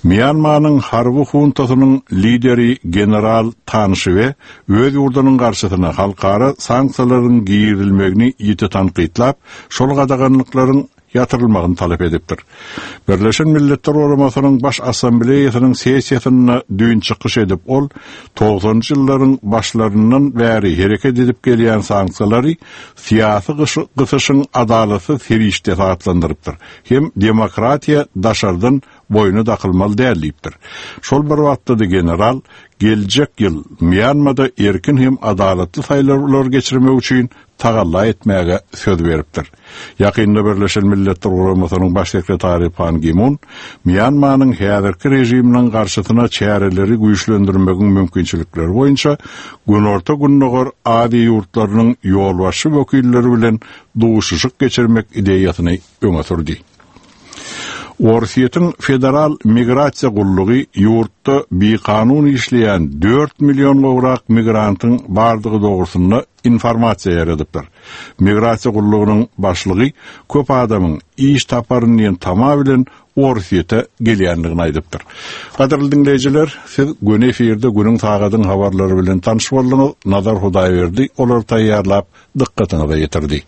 Mýanmanyň harby huntasynyň lideri general Tan Şwe öz ýurdunyň garşysyna halkara sanksiýalaryň girizilmegini ýiti tankytlap, şol gadaganlyklaryň ýatyrylmagyny talap edipdir. Birleşen Milletler Guramasynyň Baş Assambleýasynyň sessiýasynda düýn çykyş edip ol, togsanynjy ýyllaryň başlaryndan bäri hereket edip gelýän sanksiýalary syýasy gysyşyň adalatsyz serişdesi atlandyrypdyr hem demokratiýa daşardan boýna dakylmaly däl diýipdir. Şol bir wagtda-da general geljek ýyl Mýanmada erkin hem adalatly saýlawlar geçirmek üçin. tagalla etmäge söz beripdir. Ýakynda Birleşen Milletler Guramasynyň Baş sekretary Pan Gi Mun Mýanmanyň häzirki režiminiň garşysyna çäreleri güýçlendirmegiň mümkinçilikleri boýunça Günorta-Gündogar Aziýa ýurtlarynyň ýolbaşçy wekilleri bilen duşuşyk geçirmek ideýasyny öňe sürdi. Orsýetiň Federal migrasiýa gullugy ýurtda bikanun işleýän dört million gowrak migrantyň bardygy dogrusynda informasiýa ýaýradypdyr. Migrasiýa gullugynyň başlygy köp adamyň iş taparyn diýen tama bilen Orsýete gelýändigini aýdypdyr. Gadyrly diňleýjiler, siz göni efirde günüň sagadyň habarlary bilen tanyş bolduňyz. Nazar Hudaýberdi olary taýýarlap dykgatyňyza ýetirdi.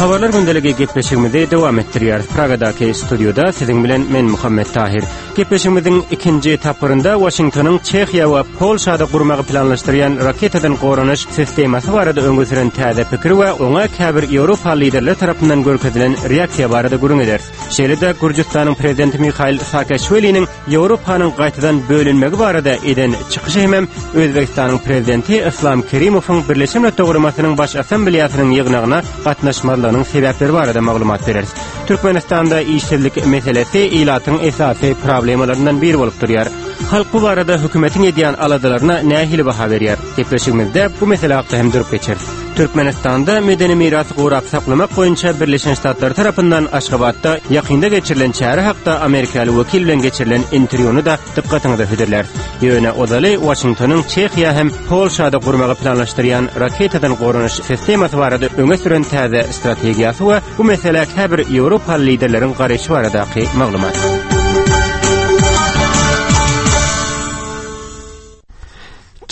Habarlar gündeligi gepleşigimizi dowam etdirýäris. Pragadaky studiýada siziň bilen men Muhammet Tahir. Gepleşigimiziň ikinji tapgyrynda Waşingtonyň Çehiýa we Polşada gurmagy planlaşdyrýan raketadan goranyş sistemasy barada öňe süren täze pikir we oňa käbir Ýewropa liderleri tarapyndan görkezilen reaksiýa barada gürrüň ederis. Şeýle-de Gürjüstanyň prezidenti Mihail Saakaşwiliniň Ýewropanyň gaýtadan bölünmegi barada eden çykyşy hemem Özbegistanyň prezidenti Yslam Kerimowyň Birleşen Milletler Guramasynyň Baş Assambleýasynyň ýygnagyna gatnaşmazlygynyň sebäpleri barada maglumat bereris. Türkmenistanda işsizlik meselesi ilatyň esasy problemalaryndan biri bolup durýar. Halk bu barada hökümetiň edýän aladalaryna nähili baha berýär? Gepleşigimizde bu mesele hakda hem durup geçeris. Türkmenistanda medeni mirasy gorap saklamak boýunça Birleşen Ştatlar tarapyndan Aşgabatda ýakynda geçirilen çäre hakda amerikaly wekil bilen geçirilen interwýuny-da dykgatyňyza hödürläris. Ýöne ozaly Waşingtonyň Çehiýa hem Polşada gurmagy planlaşdyrýan raketadan goranyş sistemasy barada öňe süren täze strategiýasy we bu meselä käbir ýewropaly liderleriň garaýşy baradaky maglumat.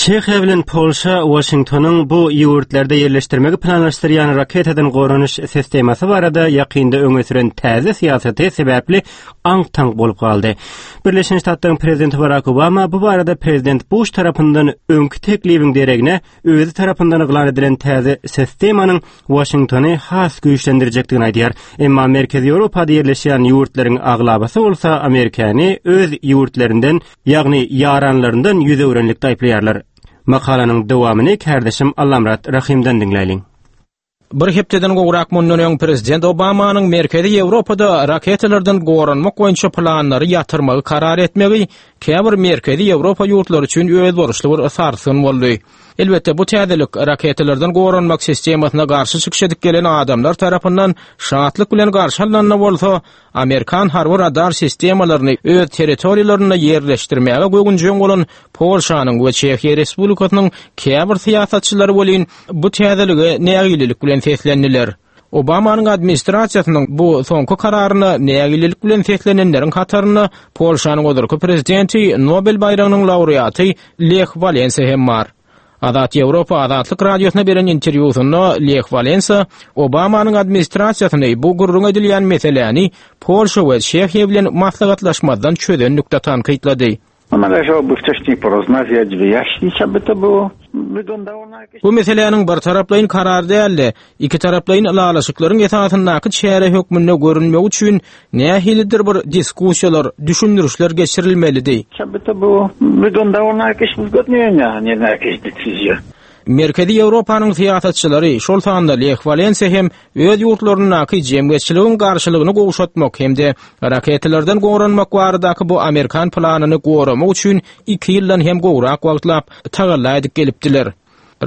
Çehiýa bilen Polşa Waşingtonyň bu ýurtlarda ýerleşdirmegi planlaşdyrýan raketadan goranyş sistemasy barada ýakynda öňe süren täze syýasaty sebäpli aňk-taňk bolup galdy. Birleşen Ştatlaryň prezidenti Barak Obama bu barada prezident Buş tarapyndan öňki teklibiň deregine özi tarapyndan yglan edilen täze sistemanyň Waşingtony has güýçlendirjekdigini aýdýar. Emma Merkezi Ýewropada ýerleşýän ýurtlaryň aglabasy bolsa Amerikany öz ýurtlaryndan, ýagny ýaranlaryndan ýüz öwrenlikde aýyplaýarlar. Makalanyň dowamyny kärdeşim Allamyrat Rahymdan diňläýliň. Bir hepdeden gowrak mundan öň prezident Obamanyň Merkezi Ýewropada raketalardan goranmak boýunça planlary ýatyrmagy karar etmegi käbir Merkezi Ýewropa ýurtlary üçin özboluşly bir sarsgyn boldy. Elbetde, bu täzelik raketalardan goranmak sistemasyna garşy çykyş edip gelen adamlar tarapyndan şatlyk bilen garşy alnanda bolsa, amerikan harby radar sistemalaryny öz territoriýalarynda ýerleşdirmäge göwünjeň bolan Polşanyň we Çehiýa Respublikasynyň käbir syýasatçylary welin bu täzelige nägilelik bilen seslendiler. Obamanyň administrasiýasynyň bu soňky kararyna nägilelik bilen seslenenleriň hatarynda Polşanyň ozalky prezidenti, Nobel baýragynyň laureaty Leh Walensa hem bar. Azat Ýewropa Azatlyk Radiosyna beren interwýusynda Leh Walensa Obamanyň administrasiýasyny bu gürrüň edilýän meseläni Polşa we Çehiýa bilen maslahatlaşmazdan çözenlikde tankytlady. Należałoby wcześniej porozmawiać, wyjaśnić, aby to było wyglądało na jakieś... Bu meseläniň birtaraplaýyn karar däl-de, ikitaraplaýyn ylalaşyklaryň esasyndaky çäre hökmünde görünmegi üçin nähilidir bir diskussiýalar, düşündirişler geçirilmelidi. Aby to było wyglądało na jakieś uzgodnienia, a nie na jakieś decyzje. Merkezi Ýewropanyň syýasatçylary, şol sanda Leh Walensa hem öz ýurtlaryndaky jemgyýetçiligiň garşylygyny gowşatmak hem-de raketalardan goranmak baradaky bu amerikan planyny goramak üçin iki ýyldan hem gowrak wagtlap tagalla edip gelipdiler.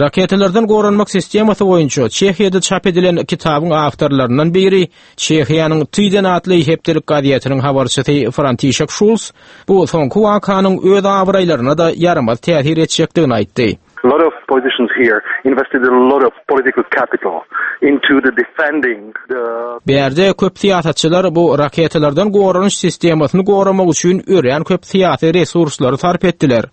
Raketalardan goranmak sistemasy boýunça Çehiýada çap edilen kitabyň awtorlaryndan biri, Çehiýanyň Tyden atly hepdelik gazetiniň habarçysy Frantişek Şuls bu soňky wakanyň öz abraýlaryna-da ýaramaz täsir etjekdigini aýtdy. A lot of politicians here invested a lot of political capital into the defending the Bärde köp syýasatçylar bu raketalardan goranyş sistemasyny goramak üçin örän köp syýasy resurslary sarp etdiler.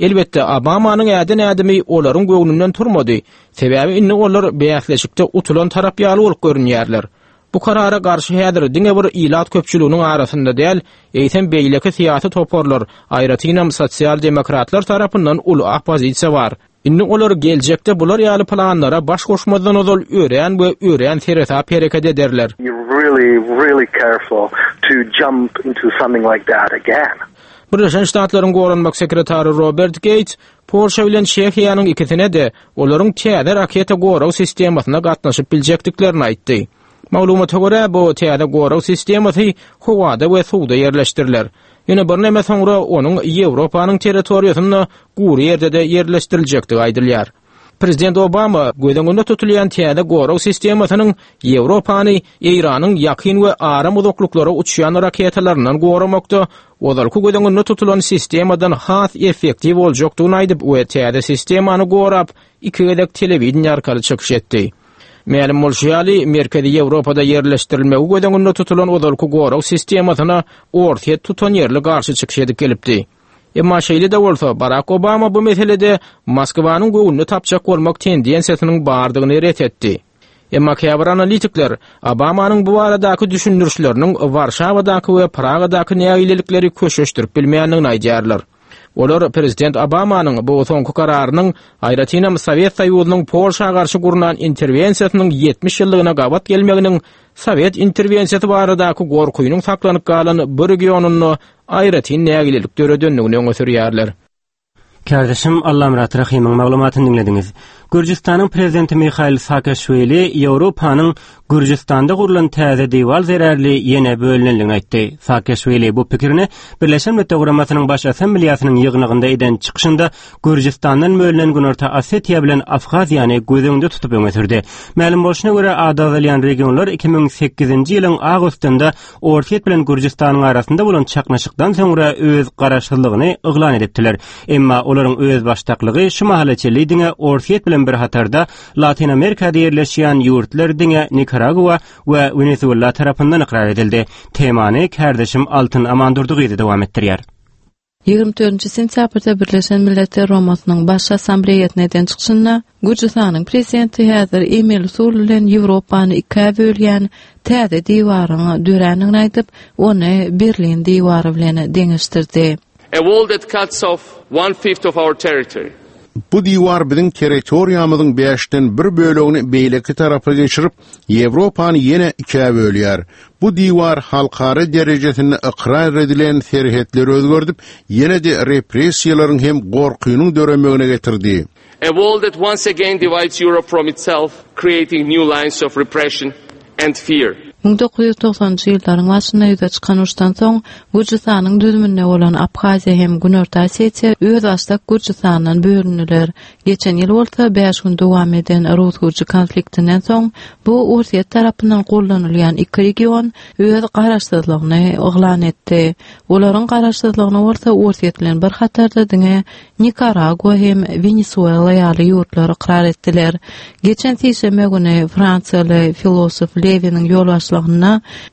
Elbetde, Obamanyň äden ädimi olaryň göwnünden turmady, sebäbi indi olar bäsleşikde utulan tarap ýaly bolup görünýärler. Bu karara garşy häzir diňe bir ilat köpçüliginiň arasynda däl, eýsem beýleki syýasy toparlar, aýratynam sosial-demokratlar tarapyndan uly oppozisiýa bar. Indi olar geljekde bular ýaly planlara baş goşmazdan ozal örän we örän seresap hereket ederler. Really, really careful to jump into something like that again. Birleşen Ştatlaryň Goranmak sekretary Robert Geýts Polşa bilen Çehiýanyň ikisine-de olaryň täze raketa gorag sistemasyna gatnaşyp biljekdiklerini aýtdy. Maglumata görä, bu täze gorag sistemasy howada we suwda ýerleşdiriler. Ýöne birneme soňra onuň Ýewropanyň territoriýasynda gury ýerde-de ýerleşdiriljekdigi aýdylýar. Prezident Obama göz öňünde tutulýan täze gorag sistemasynyň Ýewropany Eýranyň ýakyn we aram uzaklyklara uçýan raketalaryndan goramakda ozalky göz öňünde tutulan sistemadan has effektiw boljakdygyny aýdyp we täze sistemany gorap iki gezek telewideniýe arkaly çykyş etdi. Mälim bolşy ýaly, Merkezi Ýewropada ýerleşdirilmegi göz öňünde tutulan ozalky gorag sistemasyna Orsýet tutanýerli garşy çykyş edip gelipdi. Emma şeýle-de bolsa, Barak Obama bu meselede Moskwanyň göwnüni tapjak bolmak tendensiýasynyň bardygyny ret etdi. Emma käbir analitikler Obamanyň bu baradaky düşündirişleriniň Warşawadaky we Pragadaky nägilelikleri köşeşdirip bilmeýändigini aýdýarlar. Olar prezident Obamanyň bu soňky kararynyň, aýratynam Sowet Soýuzynyň Polşa garşy gurnan interwensiýasynyň 70 ýyllygyna gabat gelmeginiň sowet interwensiýasy baradaky gorkynyň saklanyp galan bu regionynda aýratyn nägilelik döredendigini öňe sürýärler. Kärdeşim Allamyrat Rahymyň maglumatyny diňlediňiz. Gürjüstanyň prezidenti Mihail Saakaşwili Ýewropanyň Gürjüstanda gurlan täze diwar zerarly ýene bölünendigini aýtdy. Saakaşwili bu pikirini Birleşen Milletler Guramasynyň Baş Assambleýasynyň ýygnagynda eden çykyşynda Gürjüstandan bölünen Günorta Osetiýa bilen Abhaziýany göz öňünde tutup öňe sürdi. Mälim bolşuna görä, ady agzalýan regionlar 2008-nji ýylyň awgustynda Orsýet bilen Gürjüstanyň arasynda bolan çaknyşykdan soňra öz garaşsyzlygyny yglan edipdiler. Emma olaryň özbaşdaklygy şu mahala çenli diňe Orsýet bilen bir hatarda Latyn Amerikada ýerleşýän ýurtlar diňe Nikaragua we Wenesuela tarapyndan ykrar edildi. Temany kärdeşim Altyn Amandurdy gyzy dowam etdirýär. 24 sentýabrda Birleşen Milletler Guramasynyň Baş Assambleýasynda eden çykyşynda Gürjüstanyň prezidenti häzir emeli usul bilen Ýewropany ikä bölýän täze diwaryň dörändigini aýdyp, ony Berlin diwary bilen deňeşdirdi. A wall that cuts off one fifth of our territory. Bu diwar biziň territoriýamyzyň bäşden bir bölegini beýleki tarapa geçirip, Ýewropany ýene ikä bölýär. Bu diwar halkara derejesinde ykrar edilen serhetleri özgerdip, ýene-de repressiýalaryň hem gorkynyň döremegine getirdi. A wall that once again divides Europe from itself, creating new lines of repression and fear. 1990-njy ýyllaryň başynda ýüze çykan uruşdan soň, Gürjüstanyň düzüminde bolan Abhaziýa hem Günorta Osetiýa özbaşdak Gürjüstandan bölündiler. Geçen ýyl bolsa bäş gün dowam eden rus-gürji konfliktinden soň, bu Orsýet tarapyndan goldanylýan iki region öz garaşsyzlygyny yglan etdi. Olaryň garaşsyzlygyny bolsa Orsýet bilen bir hatarda diňe Nikaragua hem Wenesuela ýaly ýurtlar ykrar etdiler. Geçen sişenbe güni fransiýaly filosof Lewiniň ýolbaşçylygynda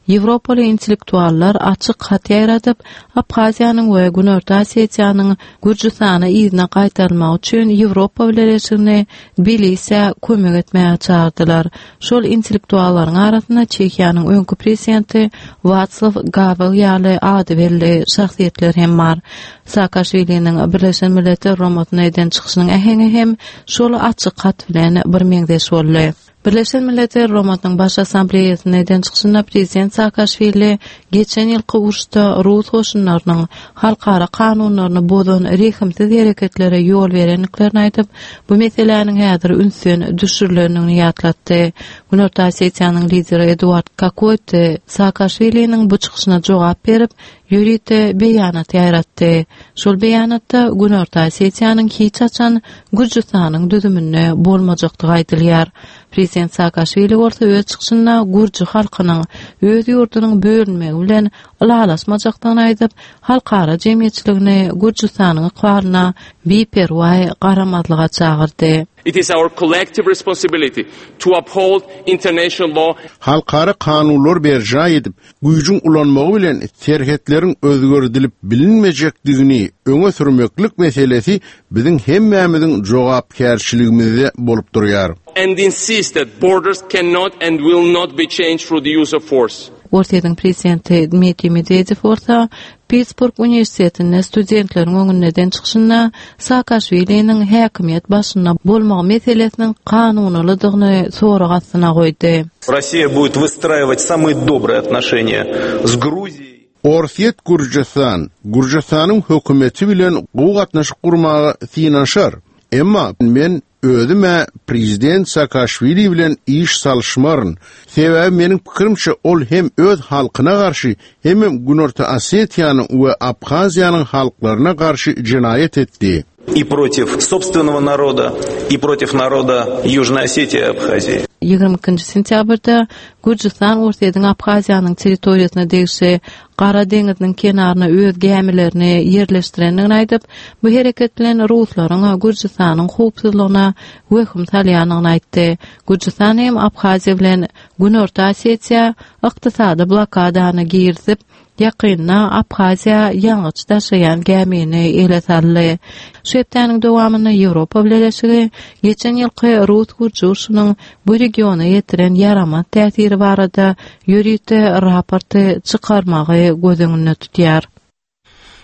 ýewropaly intellektuallar açyk hat ýaýradyp, Abhaziýanyň we Günorta Osetiýanyň Gürjüstana yzyna gaýtarylmagy üçin Ýewropa Bileleşigini Tbilisä kömek etmäge çagyrdylar. Şol intellektuallaryň arasynda Çehiýanyň öňki prezidenti Waslaw Gawel ýaly ady belli şahsyýetler hem bar. Saakaşwiliniň Birleşen Milletler Guramasyna eden çykyşynyň äheňi hem şol açyk hat bilen birmeňzeş boldy. Birleşen Milletler Guramasynyň Baş Assambleýasynda eden çykyşynda prezident Saakaşwili geçen ýylky uruşda rus goşunlarynyň halkara kanunlaryny bozan rehimsiz hereketlere ýol berendiklerini aýdyp, bu meseläniň häzir ünsden düşürilendigini ýatlatdy. Günorta Osetiýanyň lideri Eduard Kokoýti Saakaşwiliniň bu çykyşyna jogap berip, ýörite beýanat ýaýratdy. Şol beýanatda Günorta Osetiýanyň hiç haçan Gürjüstanyň düzüminde bolmajakdygy aýdylýar. Prezident Saakaşwili bolsa öz çykyşynda gürji halkynyň öz ýurdunyň bölünmegi bilen ylalaşmajakdygyny aýdyp, halkara jemgyýetçiligini Gürjüstanyň ykbalyna biperwaý garamazlyga çagyrdy. It is our collective responsibility to uphold international law. Halkara kanunlary berjaý edip, güýjüň ulanmagy bilen serhetleriň özgerdilip bilinmejekdigini öňe sürmeklik meselesi biziň hemmämiziň jogapkärçiligimizde bolup durýar. And insist that borders cannot and will not be changed through the use of force. Orsýetiň prezidenti Dmitriý Medwedew bolsa Pittsburg uniwersitetinde studentleriň öňünde eden çykyşynda Saakaşwiliniň häkimiýet başynda bolmagy meselesiniň kanunylydygyny sorag astyna goýdy. Rossiýa будет wystraýiwać samые dobrye otnoşeniýa s Gruziýey. Orsýet Gürjüstan, Gürjüstanyň hökümeti bilen gowy gatnaşyk gurmaga synanyşar. Emma men özüm-ä prezident Saakaşwili bilen iş salyşmaryn. Sebäbi meniň pikirimçe ol hem öz halkyna garşy, hemem Günorta Osetiýanyň we Abhaziýanyň halklaryna garşy jenaýat etdi. И против собственного народа, и против народа Южной Осетии и Абхазии. 22 sentýabrda Gürjüstan Orsýetiň Abhaziýanyň territoriýasyna degişli Gara deňiziniň kenaryna öz gämilerini ýerleşdirendigini aýdyp, bu hereket bilen ruslaryň Gürjüstanyň howpsuzlygyna wehim salýandygyny aýtdy. Gürjüstan hem Abhaziýa bilen Günorta Osetiýa ykdysady blokadany girizip, Ýakynda Abhaziýa ýangyç daşaýan gämini ele saldy. Şu hepdäniň dowamynda Ýewropa Bileleşigi geçen ýylky rus-gürji urşunyň bu regiona ýetiren ýaramaz täsiri barada ýörite raporty çykarmagy göz öňünde tutýar.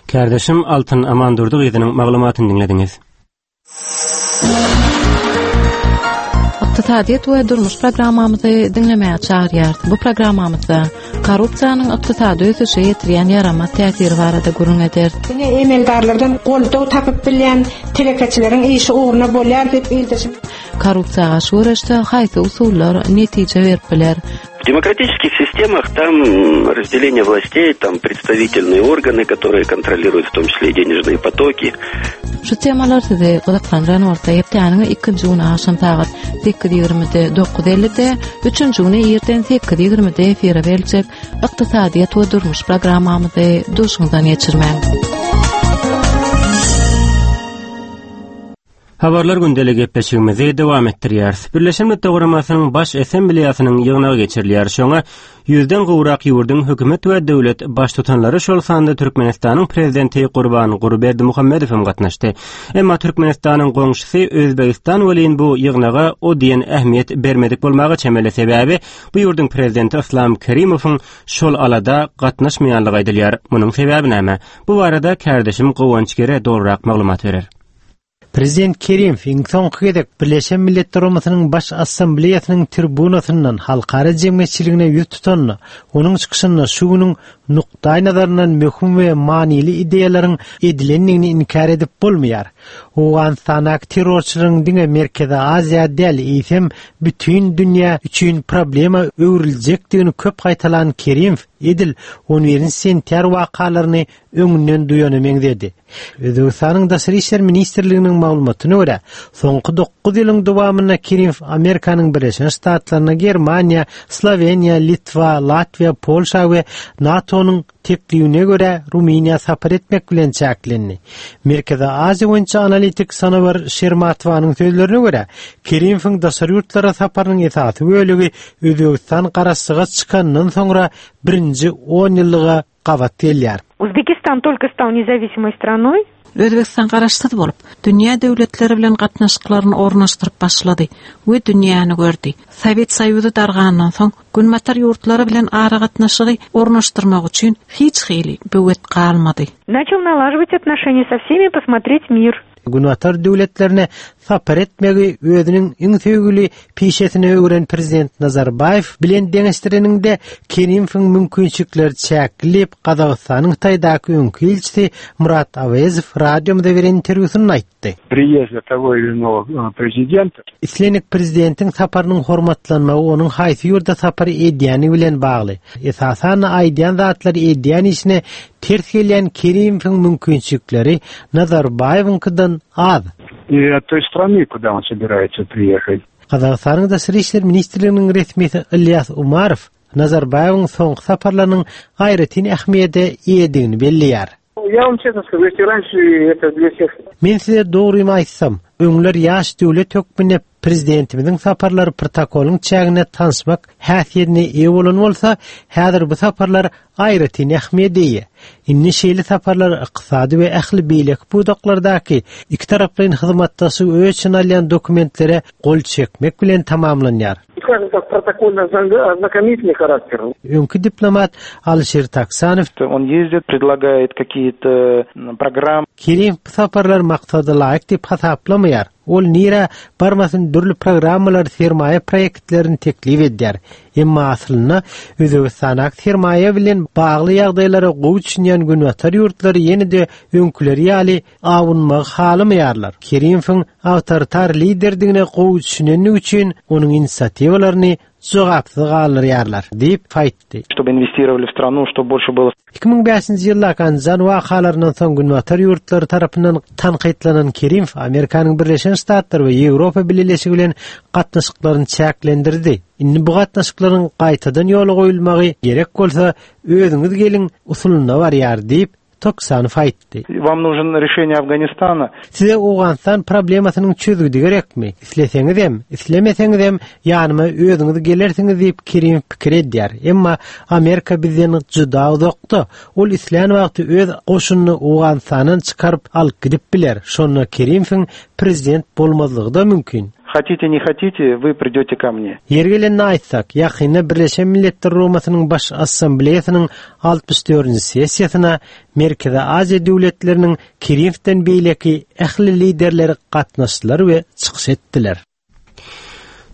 Kärdeşim Altyn Amandurdy gyzynyň maglumatyny diňlediňiz. Ykdysadyýet we durmuş programmamyzy diňlemäge çagyrýarys. Bu programmamyzda korrupsiýanyň ykdysady ösüşe ýetirýän ýaramaz täsiri barada gürrüň ederis. Diňe emeldarlardan goldaw tapyp bilýän telekeçileriň işi ugruna bolýar diýip ildeşim. Korrupsiýa garşy göreşde haýsy usullar netije berip biler? В демократических системах там разделение властей, там представительные органы, которые контролируют в том числе и денежные потоки. Şu temalar sizi gyzyklandyran bolsa, hepdäniň ikinji güni agşam sagat 8:20-de, 9:50-de, üçünji güni irden 8:20-de efire beriljek Ykdysadyýet we durmuş programmamyzy duşuňyzdan geçirmäň. Habarlar gündeli gepleşigimizi dowam etdirýäris. Birleşen Milletler Guramasynyň Baş Assambleýasynyň ýygnagy geçirilýär. Şoňa ýüzden gowrak ýurduň hökümet we döwlet baştutanlary, şol sanda Türkmenistanyň Prezidenti Gurbanguly Berdimuhamedow hem gatnaşdy. Emma Türkmenistanyň goňşusy Özbegistan welin bu ýygnaga o diýen ähmiýet bermedik bolmaga çemeli. Sebäbi bu ýurduň Prezidenti Yslam Kerimowyň şol alada gatnaşmaýanlygy aýdylýar. Munuň sebäbi näme? Bu barada kärdeşim Guwanç Gere dolurak maglumat berer. Prezident Kerimow iň soňky gezek Birleşen Milletler Guramasynyň Baş Assambleýasynyň tribunasyndan halkara jemgyýetçiligine ýüz tutanda, onuň çykyşynda şu günüň nukdaýnazaryndan möhüm we manyly ideýalaryň edilendigini inkär edip bolmaýar. Owganystandaky terrorçylaryň diňe Merkezi Aziýa däl, eýsem, bütin dünýä üçin problema öwrüljekdigini köp gaýtalan Kerimow edil on birinji sentýar wakalaryny öňünden duýana meňzedi. Özbegistanyň Daşary işler ministrliginiň maglumatyna görä, soňky dokuz ýylyň dowamynda Kerimow Amerikanyň Birleşen Ştatlaryna, Germaniýa, Sloweniýa, Litwa, Latwiýa, Polşa we NATO-nyň teklibine görä Rumyniýa sapar etmek bilen çäklendi. Merkezi Aziýa boýunça analitik Sanobar Şermatowanyň sözlerine görä, Kerimowyň daşary ýurtlara saparynyň esasy bölegi Özbegistan garaşsyzlyga çykanyndan soňra birinji onýyllyga gabat gelýär. Uzbekistan только стал независимой страной. Özbegistan garaşsyz bolup, dünýä döwletleri bilen gatnaşyklaryny ornaşdyryp başlady we dünýäni gördi. Sowet Soýuzy dargandan soň, Günbatar ýurtlary bilen aragatnaşygy ornaşdyrmak üçin hiç hili böwet galmady. Начал налаживать отношения со всеми, посмотреть мир. Günbatar döwletlerine sapar etmegi özüniň iň söýgüli pişesine öwren prezident Nazarbaýew bilen deňeşdireniňde Kerimowyň mümkinçilikleri çäkli diýip, Gazagystanyň Hytaýdaky öňki ilçisi Murat Awezow radiomyza beren interwýusynda aýtdy. Priýezda togo ili inogo prezidenta. Islendik prezidentiň saparynyň hormatlanmagy onuň haýsy ýurda sapar edýäni bilen bagly. Esasan-da aýdýan zatlary edýän işine ters gelýän Kerimowyň mümkinçilikleri Nazarbaýewiňkiden az. I od toý strany, kuda on sobiraýetsa priýehat. Gazagystanyň Daşary işler ministrliginiň resmisi Ylýas Umarow Nazarbaýewiň soňky saparlarynyň aýratyn ähmiýete eýedigini belleýär. Men size dogrymy aýtsam, öňler ýaş döwlet hökmünde prezidentimiziň saparlary protokolyň çäginde tanyşmak häsiýetine eýe bolan bolsa, häzir bu saparlar aýratyn ähmiýete eýe. Indi şeýle saparlar ykdysady we ähli beýleki pudaklardaky ikitaraplaýyn hyzmatdaşlygy öz içine alýan dokumentlere gol çekmek bilen tamamlanýar. Skazem tak, protokolno-oznakомительный характер. Öňki diplomat Alyşir Taksanow. On ýezdit, predlagaet kakiýe-to programmy. Kerimow bu saparlary maksada laýyk diýip hasaplamaýar. Ol nirä barmasyn dürli programmalary, sermaýa proýektlerini teklip edýär. Emma aslynda Özbegistandaky sermaýa bilen bagly ýagdaýlara gowy düşünýän günbatar ýurtlary ýene-de öňküleri ýaly awunmagy halamaýarlar. Kerimowyň awtoritar liderdigine gowy düşünendigi üçin onuň inisiatiwalaryny jogapsyz galdyrýarlar, diýip aýtdy. Чтобы инвестировали в страну, чтобы больше было. 2005-nji ýyldaky Andijan wakalaryndan soň Günbatar ýurtlary tarapyndan tankytlanan Kerimow Amerikanyň Birleşen Ştatlary we Ýewropa Bileleşigi bilen gatnaşyklaryny çäklendirdi. Indi bu gatnaşyklaryň gaýtadan ýola goýulmagy gerek bolsa, özüňiz geliň usulynda barýar diýip, Toksanow aýtdy. Wam нужен решение Afganistana. Size Owganystan problemasynyň çözgüdi gerekmi? Isleseňizem, islemeseňizem ýanyma özüňiz gelersiňiz diýip Kerimow pikir edýär. Emma Amerika bizden juda uzakda. Ol islän wagty öz goşunyny Owganystandan çykaryp alyp gidip biler. Şonda Kerimowyň prezident bolmazlygy-da mümkin. Хотите не хотите, вы придете ко мне. Ýeri gelende aýtsak, ýakynda Birleşen Milletler Guramasynyň Baş Assambleýasynyň 64-nji sessiýasyna Merkezi Aziýa döwletleriniň Kerimowden beýleki ähli liderleri gatnaşdylar we çykyş etdiler.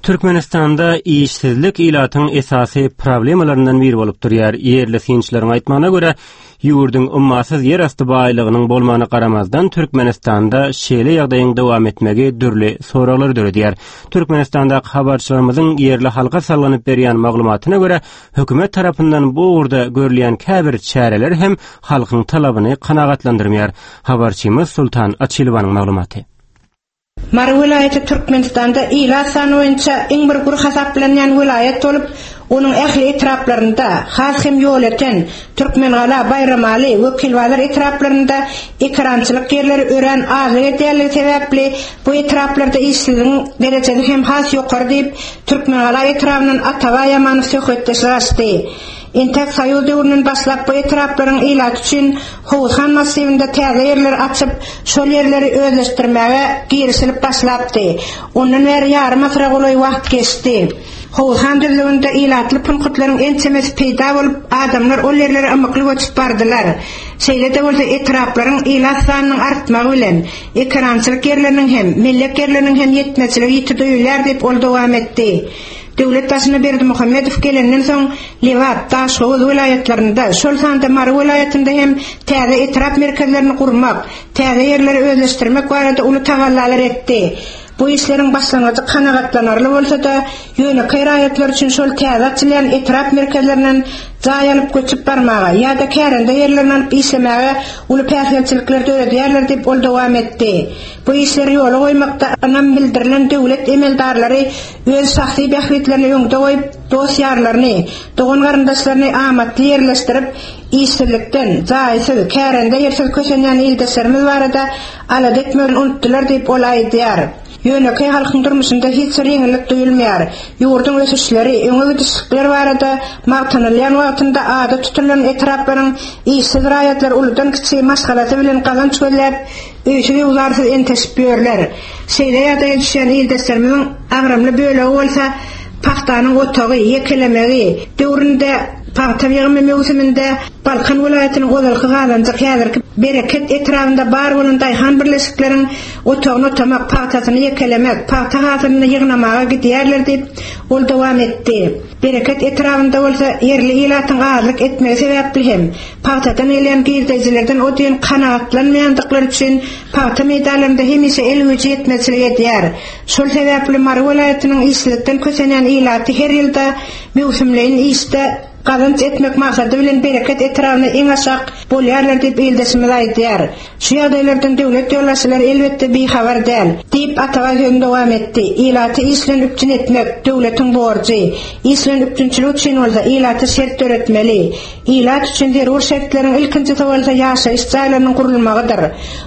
Türkmenistanda işsizlik ilatyň esasy problemalaryndan biri bolup durýar. Ýerli synçylaryň aýtmagyna görä, ýurduň ummasyz ýerasty baýlygynyň bolmagyna garamazdan, Türkmenistanda şeýle ýagdaýyň dowam etmegi dürli soraglary döredýär. Türkmenistandaky habarçylarymyzyň ýerli halka salgylanyp berýän maglumatyna görä, Hökümet tarapyndan bu ugurda görülýän käbir çäreler hem halkyň talabyny kanagatlandyrmaýar. Habarçymyz Sultan Açylowanyň maglumaty. Mary welaýaty Türkmenistanda ilat sany boýunça iň bir gür hasaplanýan welaýat bolup, onuň ähli etraplarynda, has hem Ýolöten, Türkmengala, Baýramaly, Wekilbazar etraplarynda ekerançylyk ýerleri örän azlyk edýänligi sebäpli, bu etraplarda işsizligiň derejesi hem has ýokary diýip, Türkmengala etrabyndan Atabaý Ýamanow söhbetdeşlik açdy. Entäk soýuz döwründen başlap bu etraplaryň ilaty üçin Howuzhan massiwinde täze ýerleri açyp, şol ýerleri özleşdirmäge girişilip başlapdy. Ondan bäri ýarym asyra golaý wagt geçdi. Howuzhan düzlüginde ilatly punkutlaryň ençemesi peýda bolup, adamlar ol ýerlere ymykly göçüp bardylar. Şeýle-de bolsa etraplaryň ilat sanynyň artmagy bilen, Ekerançylyk ýerleriniň hem, mellek ýerleriniň hem ýetmezçiligi ýiti duýulýar diýip, ol dowam etdi. Döwlet başyna Berdimuhamedow gelenden soň, Lebap, Daşhowuz welaýatlarynda, şol sanda Mary welaýatynda hem täze etrap merkezlerini gurmak, täze ýerleri özleşdirmek barada uly tagallalar etdi. Bu işleriň başlangyjy kanagatlanarly bolsa-da, ýönekeý raýatlar üçin şol täze açylýan etrap merkezlerinden jaý alyp göçüp barmaga ýa-da kärende ýerlerini alyp işlemäge uly päsgelçilikler döredýärler diýip, ol dowam etdi. Bu işleri ýola goýmakda ynam bildirilen döwlet emeldarlary öz şahsy bähbitlerini öňde goýup, dost-ýarlaryny, dogan-garyndaşlaryny amatly ýerleşdirip, işsizlikden, jaýsyz, kärende ýersiz kösenýän ildeşlerimiz barada alada etmegini unutdylar diýip, ol aýdýar. Ýönekeý halkyň durmuşynda hiç bir ýeňillik duýulmaýar. Ýurduň ösüşleri, öňe gidişlikler barada magtanylýan wagtynda ady tutulan etraplaryň işsiz raýatlary uludan-kiçi maşgalasy bilen gazanç gözläp, öýsüz-öwzarsyz enteşip ýörler. Şeýle ýagdaýa düşýän ildeşlerimiziň agramly bölegi bolsa pagtanyň otagy, ýekelemegi döwründe pagta ýygymy möwsüminde Balkan welaýatynyň ozalky Gazanjyk, häzirki Bereket etrabynda bar bolan daýhan birleşikleriň otagyny otamak, pagtasyny ýekelemek, pagta hasylyny ýygnamaga gidýärler diýip, ol dowam etdi. Bereket etrabynda bolsa ýerli ilatyň azlyk etmegi sebäpli hem, pagtadan gelýän girdejilerden o diýen kanagatlanmaýandyklary üçin pagta meýdanlarynda hemişe el güýji ýetmezçilik edýär. Şol sebäpli Mary welaýatynyň işsizlikden kösenýän ilaty her ýylda möwsümleýin işde gazanç etmek maksady bilen Bereket etrabyna iň aşak bolýarlar diýip ildeşimiz aýdýar. Şu ýagdaýlardan döwlet ýolbaşçylary elbetde bihabar däl. Diýip, Atabaý sözüni dowam etdi. Ilaty iş bilen üpjün etmek, döwletiň borjy. Iş bilen üpjünçilik üçin bolsa ilata şert döretmeli. Ilat üçin zerur şertleriň ilkinjisi bolsa ýaşaýyş jaýlarynyň gurulmagydyr.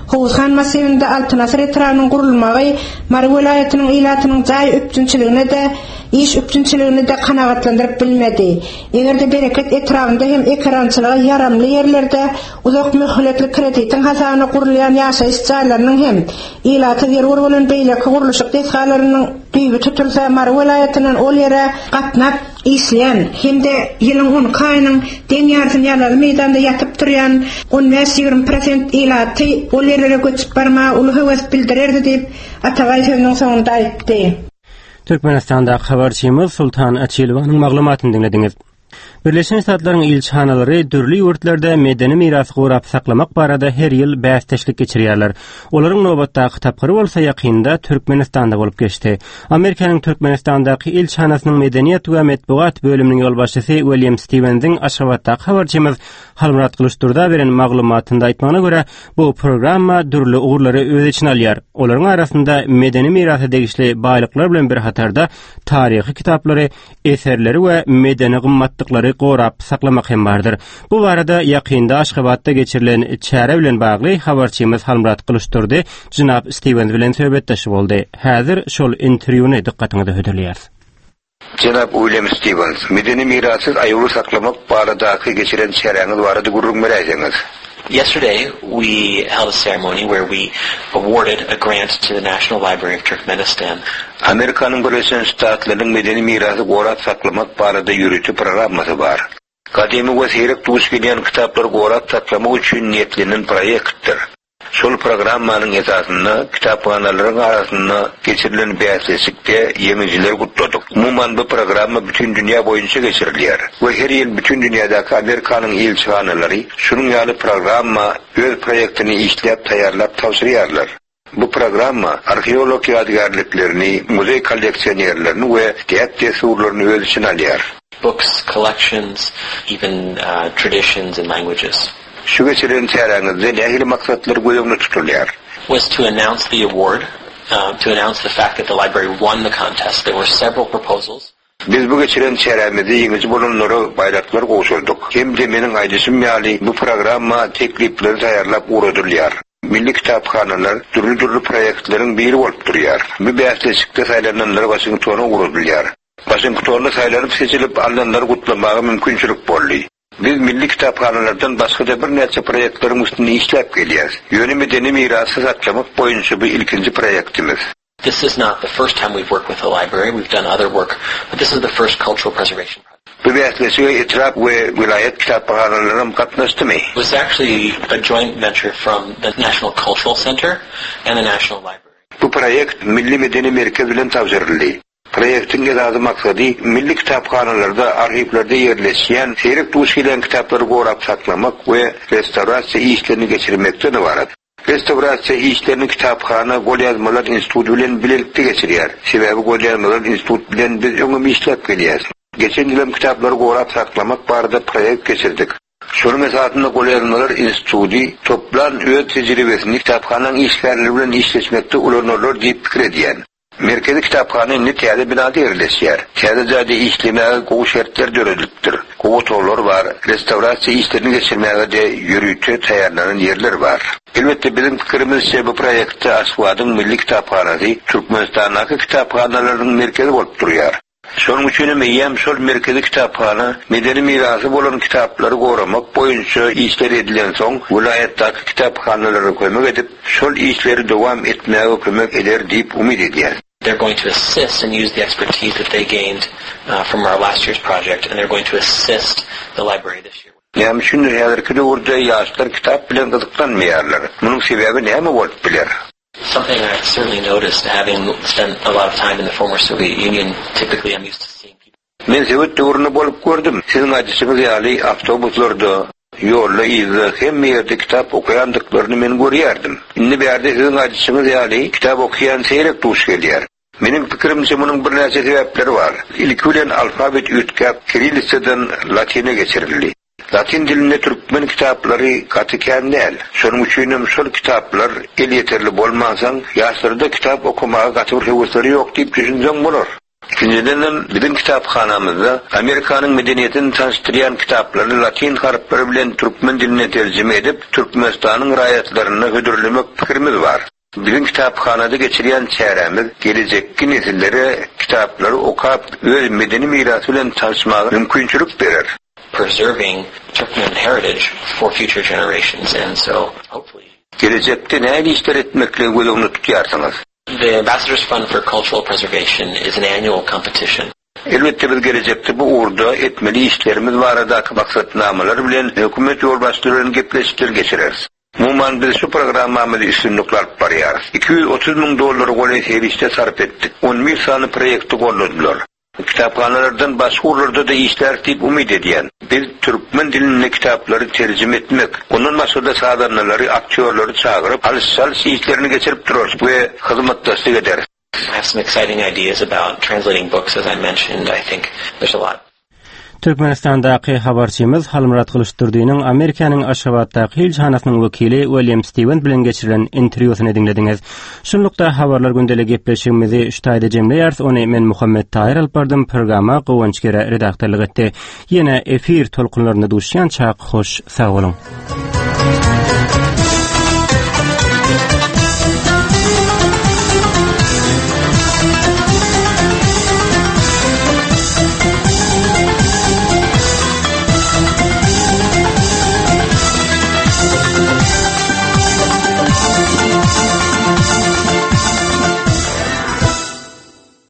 Howuzhan massiwinde Altyn asyr etrabynyň gurulmagy Mary welaýatynyň ilatynyň jaý üpjünçiligine-de. Iş üpjünçiligini-de kanagatlandyryp bilmedi. Eger-de Bereket etrabynda hem ekerançylyga ýaramly ýerlerde uzak möhletli kreditiň hasabyna gurulýan ýaşaýyş jaýlarynyň hem ilata zerur bolan beýleki gurluşyk desgalarynyň düýbi tutulsa, Mary welaýatyndan ol ýere gatnap işleýän hem-de ýylyň on iki aýynyň deň ýarysyny ýalazy meýdanda ýatyp turýan on bäş-ýigrimi prosent ilaty ol ýerlere göçüp barmaga uly höwes bildirerdi diýip, Atabaý sözüniň soňunda aýtdy. Türkmenistandaky habarçymyz Sultan Açilowanyň maglumatyny diňlediňiz. Birleşen Ştatlaryň ilçihanalary dürli ýurtlarda medeni mirasy gorap saklamak barada her ýyl bäsdeşlik geçirýärler. Olaryň nobatdaky tapgyry bolsa ýakynda Türkmenistanda bolup geçdi. Amerikanyň Türkmenistandaky ilçihanasynyň medeniýet we metbugat bölüminiň ýolbaşçysy William Stiwensiň Aşgabatdaky habarçymyz Halmyrat Gylyçdurda beren maglumatynda aýtmagyna görä, Bu programma dürli ugurlary öz içine alýar. Olaryň arasynda medeni mirasa degişli baýlyklar bilen bir hatarda taryhy kitaplary, eserleri we medeni gymmatlyklary gorap saklamak hem bardyr. Bu barada ýakynda Aşgabatda geçirilen çäre bilen bagly habarçymyz Halmyrat Gylyçdurdy jenap Stiwens bilen söhbetdeş boldy. Häzir şol interwýuny dykgatyňyza hödürleýäris. Jenap Uilýam Stiwens, medeni mirasy aýawly saklamak baradaky geçiren çäräňiz barada gürrüň beräýseňiz? Yesterday we held a ceremony where we awarded a grant to the National Library of Turkmenistan. Amerikanyň Birleşen Ştatlarynyň medeni mirasy gorap saklamak barada ýörite programmasy bar. Gadymy we seýrek duş gelýän kitaplary gorap saklamak üçin niýetlenen proýektdir. Şol programmanyň esasynda kitaphanalaryň arasynda geçirilen bäsleşikde ýeňijileri gutladyk. Umuman, bu programma bütin dünýä boýunça geçirilýär we her ýyl bütin dünýädäki Amerikanyň ilçihanalary şunuň ýaly programma öz proýektini işläp taýýarlap tabşyrýarlar. Bu programma arheolog ýadygärliklerini, muzeý kolleksionerlerini we däp-dessurlaryny öz içine alýar. Books, collections, even traditions and languages. Şu geçiren çäräňizde nähili maksatlar göz öňünde tutulýar? Was to announce the award, to announce the fact that the library won the contest. There were several proposals. Biz bu geçiren çärämizde ýeňiji bolanlara baýraklar gowşurdyk. Hem-de meniň aýdyşym ýaly bu programma teklipleri taýýarlap ugradylýar. Milli kitaphanalar dürli-dürli proýektleriň biri bolup durýar. Bu bäsleşikde saýlananlar Waşingtona ugradylýar. Waşingtonda saýlanyp-seçilip alnanlary gutlamaga mümkinçilik boldy. Biz milli kitaphanalardan başga-da birnäçe proýektleriň üstünde işläp gelýäris. Ýöne medeni mirasy saklamak boýunça bu ilkinji proýektimiz. This is not the first time we've worked with the library, we've done other work, but this is the first cultural preservation project. Bu bäsleşige etrap we welaýat kitaphanalaram gatnaşdymy? It was actually a joint venture from the National Cultural Center and the National Library. Bu proýekt Milli medeni merkez bilen tabşyryldy. Proýektiň esasy maksady milli kitaphanalarda, arhiwlerde ýerleşýän seýrek duş gelýän kitaplary gorap saklamak we restawrasiýa işlerini geçirmekden ybarat. Restawrasiýa işlerini kitaphana Golýazmalar instituty bilen bilelikde geçirýär. Sebäbi Golýazmalar institut bilen biz öňem işläp gelýäs. Geçen ýylam kitaplary gorap saklamak barada proýekt geçirdik. Şonuň esasynda Golýazmalar instituty toplan öz tejribesini kitaphanaň işgärleri bilen işleşmekde ulanarlar diýip pikir edýän. Merkezi kitaphana indi täze binada ýerleşýär. Täze jaýda işlemäge gowy şertler döredilipdir. Gowy otaglar bar, restawrasiýa işlerini geçirmäge-de ýörite taýýarlanan ýerler bar. Elbetde, biziň pikirimizçe, bu proýektde Aşgabadyň Milli kitaphanasy Türkmenistandaky kitaphanalaryň merkezi bolup durýar. Şonuň üçin hem eýýäm şol merkezi kitaphana medeni mirasy bolan kitaplary goramak boýunça işler edilensoň, welaýatdaky kitaphanalara kömek edip, şol işleri dowam etmäge kömek eder diýip umyt edýäs. They're going to assist and use the expertise that they gained from our last year's project and they're going to assist the library this year. Näme üçindir häzirki döwürde ýaşlar kitap bilen gyzyklanmaýarlar. Munuň sebäbi näme bolup biler? Something I certainly noticed having spent a lot of time in the former Soviet Union, typically I'm used to seeing people. Men sowet döwründe bolup gördüm. Siziň aýdyşyňyz ýaly awtobuslarda, ýolda yzda hemme ýerde kitap okaýandyklaryny men görýärdim. Indi bärde siziň aýdyşyňyz ýaly kitap okaýan seýrek duş gelýär. Meniň pikirimçe munuň birnäçe sebäpleri bar. Ilki bilen alfabet üýtgäp kirillitsadan latyna geçirildi. Latyn dilinde türkmen kitaplary gaty kän däl. Şonuň üçinem şol kitaplar elýeterli bolmansoň ýaşlarda kitap okamaga gaty bir höwesleri ýok diýip düşünseň bolar. Ikinjidenem, biziň kitaphanamyzda Amerikanyň medeniýetini tanyşdyrýan kitaplary latyn harplary bilen türkmen diline terjime edip, Türkmenistanyň raýatlaryna hödürlemek pikirimiz bar. Biziň kitaphanada geçirýän çärämiz gelejekki nesillere kitaplary okap, öz medeni mirasy bilen tanyşmaga mümkinçilik berer. Preserving Turkmen heritage for future generations and so hopefully. Gelejekde nähili işler etmekligi göz öňünde tutýarsyňyz? The Ambassador's Fund for Cultural Preservation is an annual competition. Elbetde biz gelejekde bu ugurda etmeli işlerimiz baradaky maksatnamalar bilen hökümet ýolbaşçylary bilen gepleşikler geçireris. Umuman biz şu programmamyzy üstünlikli alyp barýarys. 230 müň dollara golaý serişde sarp etdik. On bir sany proýekti goldadylar. Kitaphanalardan başga ugurlarda-da işläris diýip umyt edýän. Biz türkmen dilinde kitaplary terjime etmek, ondan başga-da sazandalary, aktýorlary çagyryp, alyş-çalyş işlerini geçirip durarys we hyzmatdaşlyk ederis. I have some exciting ideas about translating books as I mentioned. I think there's a lot. Türkmenistandaky habarçymyz Halmyrat Gylyçdurdynyň Amerikanyň Aşgabatdaky ilçihanasynyň wekili Uilýam Stiwens bilen geçirilen interwýusyny diňlediňiz. Şunlukda Habarlar gündeli gepleşigimizi şu taýda jemleýäris. Ony men Muhammet Taýyr alyp bardym, programma Guwanç Gere redaktorlyk etdi. Ýene efir tolkunlarynda duşýançak hoş sag boluň.